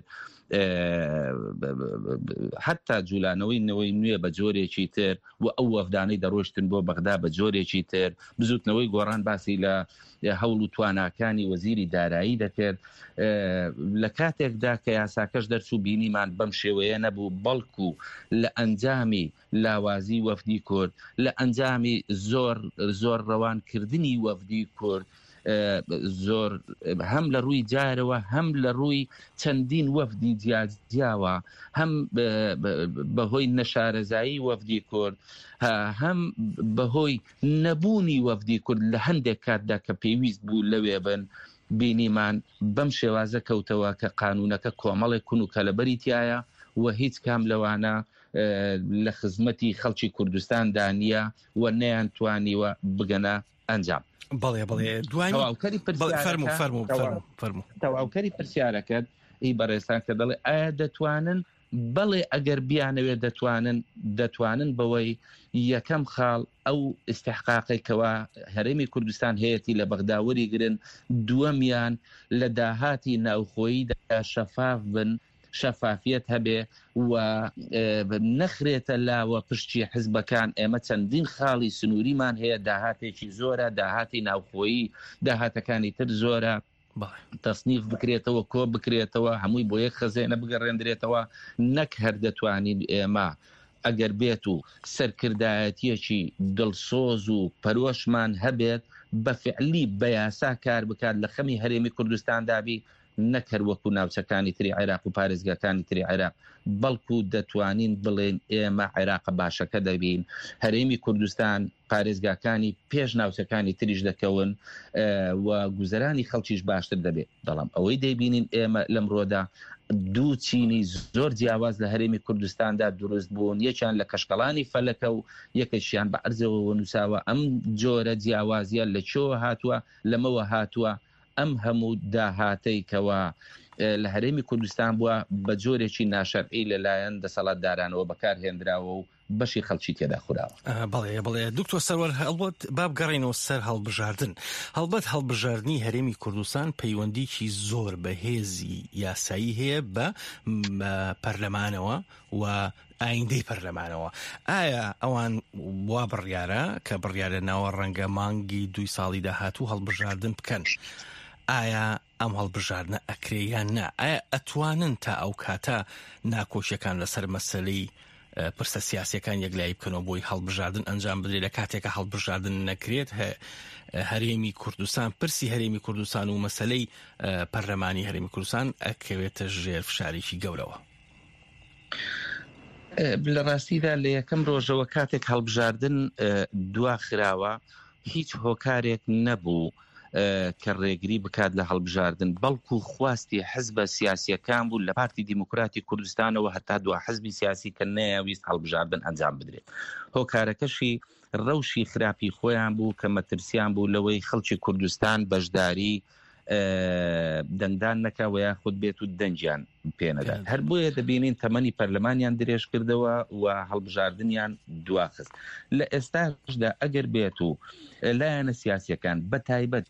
حتا جولانەوەی نەوەی نوێ بە جۆرێکی تر و ئەو وەفدانەی دەڕۆشتن بۆ بەغدا بە جۆرێکی تر. بزوتنەوەی گۆڕان باسی لە هەوڵ و تواناکانی وەزیری دارایی دەکرد لە کاتێکدا کە یاساکەش دەرچوو بینیمان بەم شێوەیە نەبوو، بەڵکو لە ئەنجامی لاوازی وەفدی کورد، لە ئەنجامی زۆر زۆر ڕەوان کردنی وەفدی کورد زۆر هەم لە ڕووی جارەوە هەم لە ڕووی چەندین وەفدی جیاجیاوە هەم بەهۆی نەشارەزایی وەفدی کورد هەم بەهۆی نەبوونی وەفدی کورد لە هەندێک کاتدا کە پێویست بوو لەوێ بن بینیمان بەم شێوازە کەوتەوە کە قانونەکە کۆمەڵێک کون و کەلەبەری تایە و هیچ کام لەوانە لە خزمەتی خەڵکی کوردستاندا نییە و نەیانتوانیوە بگەنە ئەنجام. بەڵێ بەڵێ دوای تەواوکەری فەرموو فەرموو فەرموو تەواوکەری پرسیارەکەت ئی بەڕێزتان کە دەڵێ ئایا دەتوانن؟ بەڵێ ئەگەر بیانەوێت دەتوانن، دەتوانن بەوەی یەکەم خاڵ ئەو ئیستحقاقەی کەوا هەرێمی کوردستان هەیەتی لە بەغدا وەریگرن، دووەمیان لە داهاتی ناوخۆییدا شەفاف بن، شەفافیەت هەبێ و نەخرێتە لاوە پشتی حزبەکان، ئێمە چەندین خاڵی سنووریمان هەیە، داهاتێکی زۆرە، داهاتی ناوخۆیی، داهاتەکانی تر زۆرە، تەسنیف بکرێتەوە، کۆ بکرێتەوە، هەمووی بۆ یەک خەزێنە بگەڕێندرێتەوە، نەک هەر دەتوانین ئێمە ئەگەر بێت و سەرکردایەتیەکی دڵسۆز و پەرۆشمان هەبێت بە فعلی بە یاسا کار بکات لە خەمی هەرێمی کوردستاندا بی، نەک هەر وەکو ناوچەکانی تری عێراق و پارێزگاکانی تری عێراق، بەڵکو دەتوانین بڵێین ئێمە عێراقە باشەکە دەبین، هەرێمی کوردستان پارێزگاکانی پێش ناوچەکانی تریش دەکەون و گوزەرانی خەڵکیش باشتر دەبێت. بەڵام ئەوەی دەیبینین ئێمە لەمڕۆدا دوو چینی زۆر جیاواز لە هەرێمی کوردستاندا دروست بوون، یەکیان لە کەشکەڵانی فەلەکە و یەکێکیان بە عەرزەوە نووساوە. ئەم جۆرە جیاوازییە لە کوێوە هاتووە؟ لەمەوە هاتووە ئەم هەموو داهاتەی کەوا لە هەرێمی کوردستان بووە بە جۆرێکی ناشەرعی لەلایەن دەسەڵاتدارانەوە بەکار هێنراوە و بەشی خەڵکی تێدا خوراوە. بەڵێ بەڵێ دکتۆر سەروەر هەڵبەت با بگەڕێینەوە سەر هەڵبژاردن. هەڵبەت هەڵبژاردنی هەرێمی کوردستان پەیوەندیکی زۆر بەهێزی یاسایی هەیە بە پەرلەمانەوە و ئایندەی پەرلەمانەوە. ئایا ئەوان وا بڕیارە کە بڕیارە ناوە ڕەنگە مانگی دووی ساڵی داهاتوو هەڵبژاردن بکەن؟ ئایا ئەم هەڵبژاردنە ئەکرێ یان نا؟ ئایا ئەتوانن تا ئەو کاتە ناکۆکیەکان لەسەر مەسەلەی پرسە سیاسیەکان یەکلایی بکەنەوە بۆی هەڵبژاردن ئەنجام بدرێت لە کاتێکە هەڵبژاردن نەکرێت هەرێمی کوردستان پرسی هەرێمی کوردستان و مەسلەی پەرلەمانی هەرێمی کوردستان ئەکەوێتە ژێر فشارێکی گەورەوە. لە ڕاستیدا لە یەکەم ڕۆژەوە کاتێک هەڵبژاردن دوا خراوە هیچ هۆکارێک نەبوو کە ڕێگری بکات لە هەڵبژاردن بەڵکو خواستی حزبە سیاسیەکان بوو لە پارتی دیموکراتی کوردستانەوە هەتا دوا حزبی سیاسی کە نەیاویست هەڵبژاردن ئەنجام بدرێت هۆکارەکەشی ڕەوشی خراپی خۆیان بوو کە مەترسیان بوو لەوەی خەڵکی کوردستان بەشداری دەنگدان نەکا و یاخود بێت و دەنگیان پێنەدات هەر بۆیە دەبینین تەمەنی پەرلەمانیان درێژ کردەوە و هەڵبژاردنیان دواخست لە ئێستاشدا ئەگەر بێت و لایەنە سیاسیەکان بە تایبەت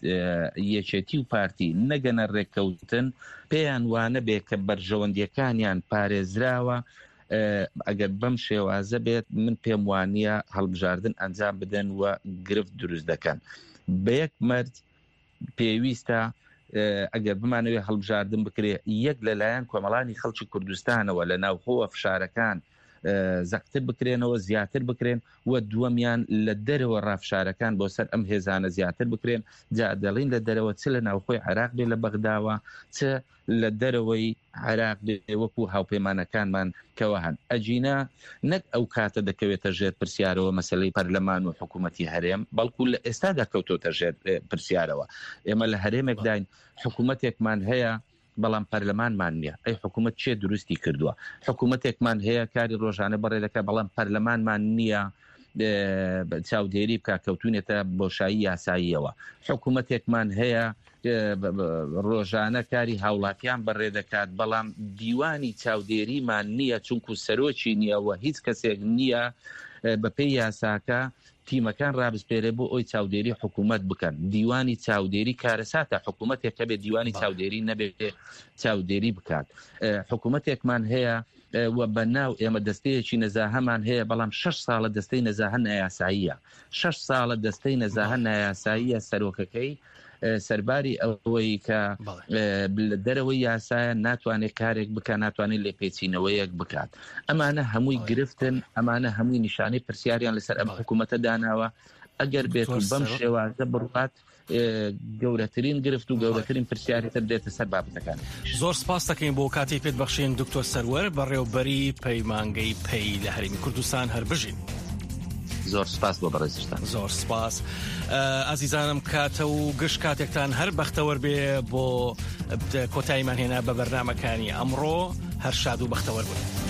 یەکێتی و پارتی نەگەنە ڕێککەوتن پێیان وانە بێ کە بەرژەوەندیەکانیان پارێزراوە ئەگەر بەم شێوازە بێت من پێم وانە هەڵبژاردن ئەنجام بدەن و گرفت دروست دەکەن بە یەک مەرج پێویستە ئەگەر بمانەوێت هەڵبژاردن بکرێ یەک لەلایەن کۆمەڵانی خەڵکی کوردستانەوە لە ناوخۆوە فشارەکان زەقتر بکرێنەوە زیاتر بکرێن و دووەمیان لە دەرەوە ڕافشارەکان بۆ سەر ئەم هێزانە زیاتر بکرێن جا دەڵین لە دەرەوە چ لە ناوخۆی عێراق بێ لە بەغداوە چ لە دەرەوەی عێراق بێ وەکو هاوپەیمانەکانمان کەوا هەن ئەگینا نەک ئەو کاتە دەکەوێتە ژێر پرسیارەوە مەسەلەی پەرلەمان و حکوومەتی هەرێم بەڵکو لە ئێستادا کەوتۆتە ژێر پرسیارەوە ئێمە لە هەرێمێکداین حکوومەتێکمان هەیە بەڵام پەرلەمانمان نییە ئەی حکوومەت چێ دروستی کردووە حکوومەتێکمان هەیە کاری ڕۆژانە بەڕێ دەکات بەڵام پەرلەمانمان نییە چاودێری بکە کەوتونێتە بۆشایی یاساییەوە حکوومەتێکمان هەیە. ڕۆژانە کاری هاوڵاتیان بەڕێ دەکات، بەڵام دیوانی چاودێریمان نییە، چونکو سەرۆکی نییە و هیچ کەسێک نییە بەپێی یاساکە تیمەکان ڕابسپێرێ بۆ ئەوی چاودێری حکوومەت بکەن. دیوانی چاودێری کارەساتە، حکوومەتێک هەبێ دیوانی چاودێری نەبێ چاودێری بکات. حکوومەتێکمان هەیە و بە ناو ئێمە دەستەیەکی نەزاهەمان هەیە، بەڵام شەش ساڵە دەستەی نەزاهە نایاساییە. شەش ساڵە دەستەی نەزاهە نایاساییە سەرۆکەکەی سەرباری ئەوەی کە لە دەرەوەی یاسایە ناتوانێت کارێک بکە ناتوانێت لێپێچینەوەیەک بکات ئەمانە هەمووی گرفتن ئەمانە هەمووی نیشانەی پرسیاریان لەسەر ئەم حکوومەتە داناوە ئەگەر بێت و بەم شێوازە بڕات گەورەترین گرفت و گەورەترین پرسیاری تر دێتە سەر بابەتەکان. زۆر سپاس دەکەین بۆ کاتی پێت بەخشین دکتۆر سەروەر بەڕێوبەری پەیمانگەی پەی لە هەرێمی کوردستان هەر بژین. زۆر سپاس بۆ بەڕێزیشتان. زۆر سپاس ئازیزانم کاتە و گشت کاتێکتان هەر بەختەوەر بێ بۆ کۆتاییمان هێنا بە بەرنمەکانی ئەمڕۆ هەر شاد و بەختەوەر بن.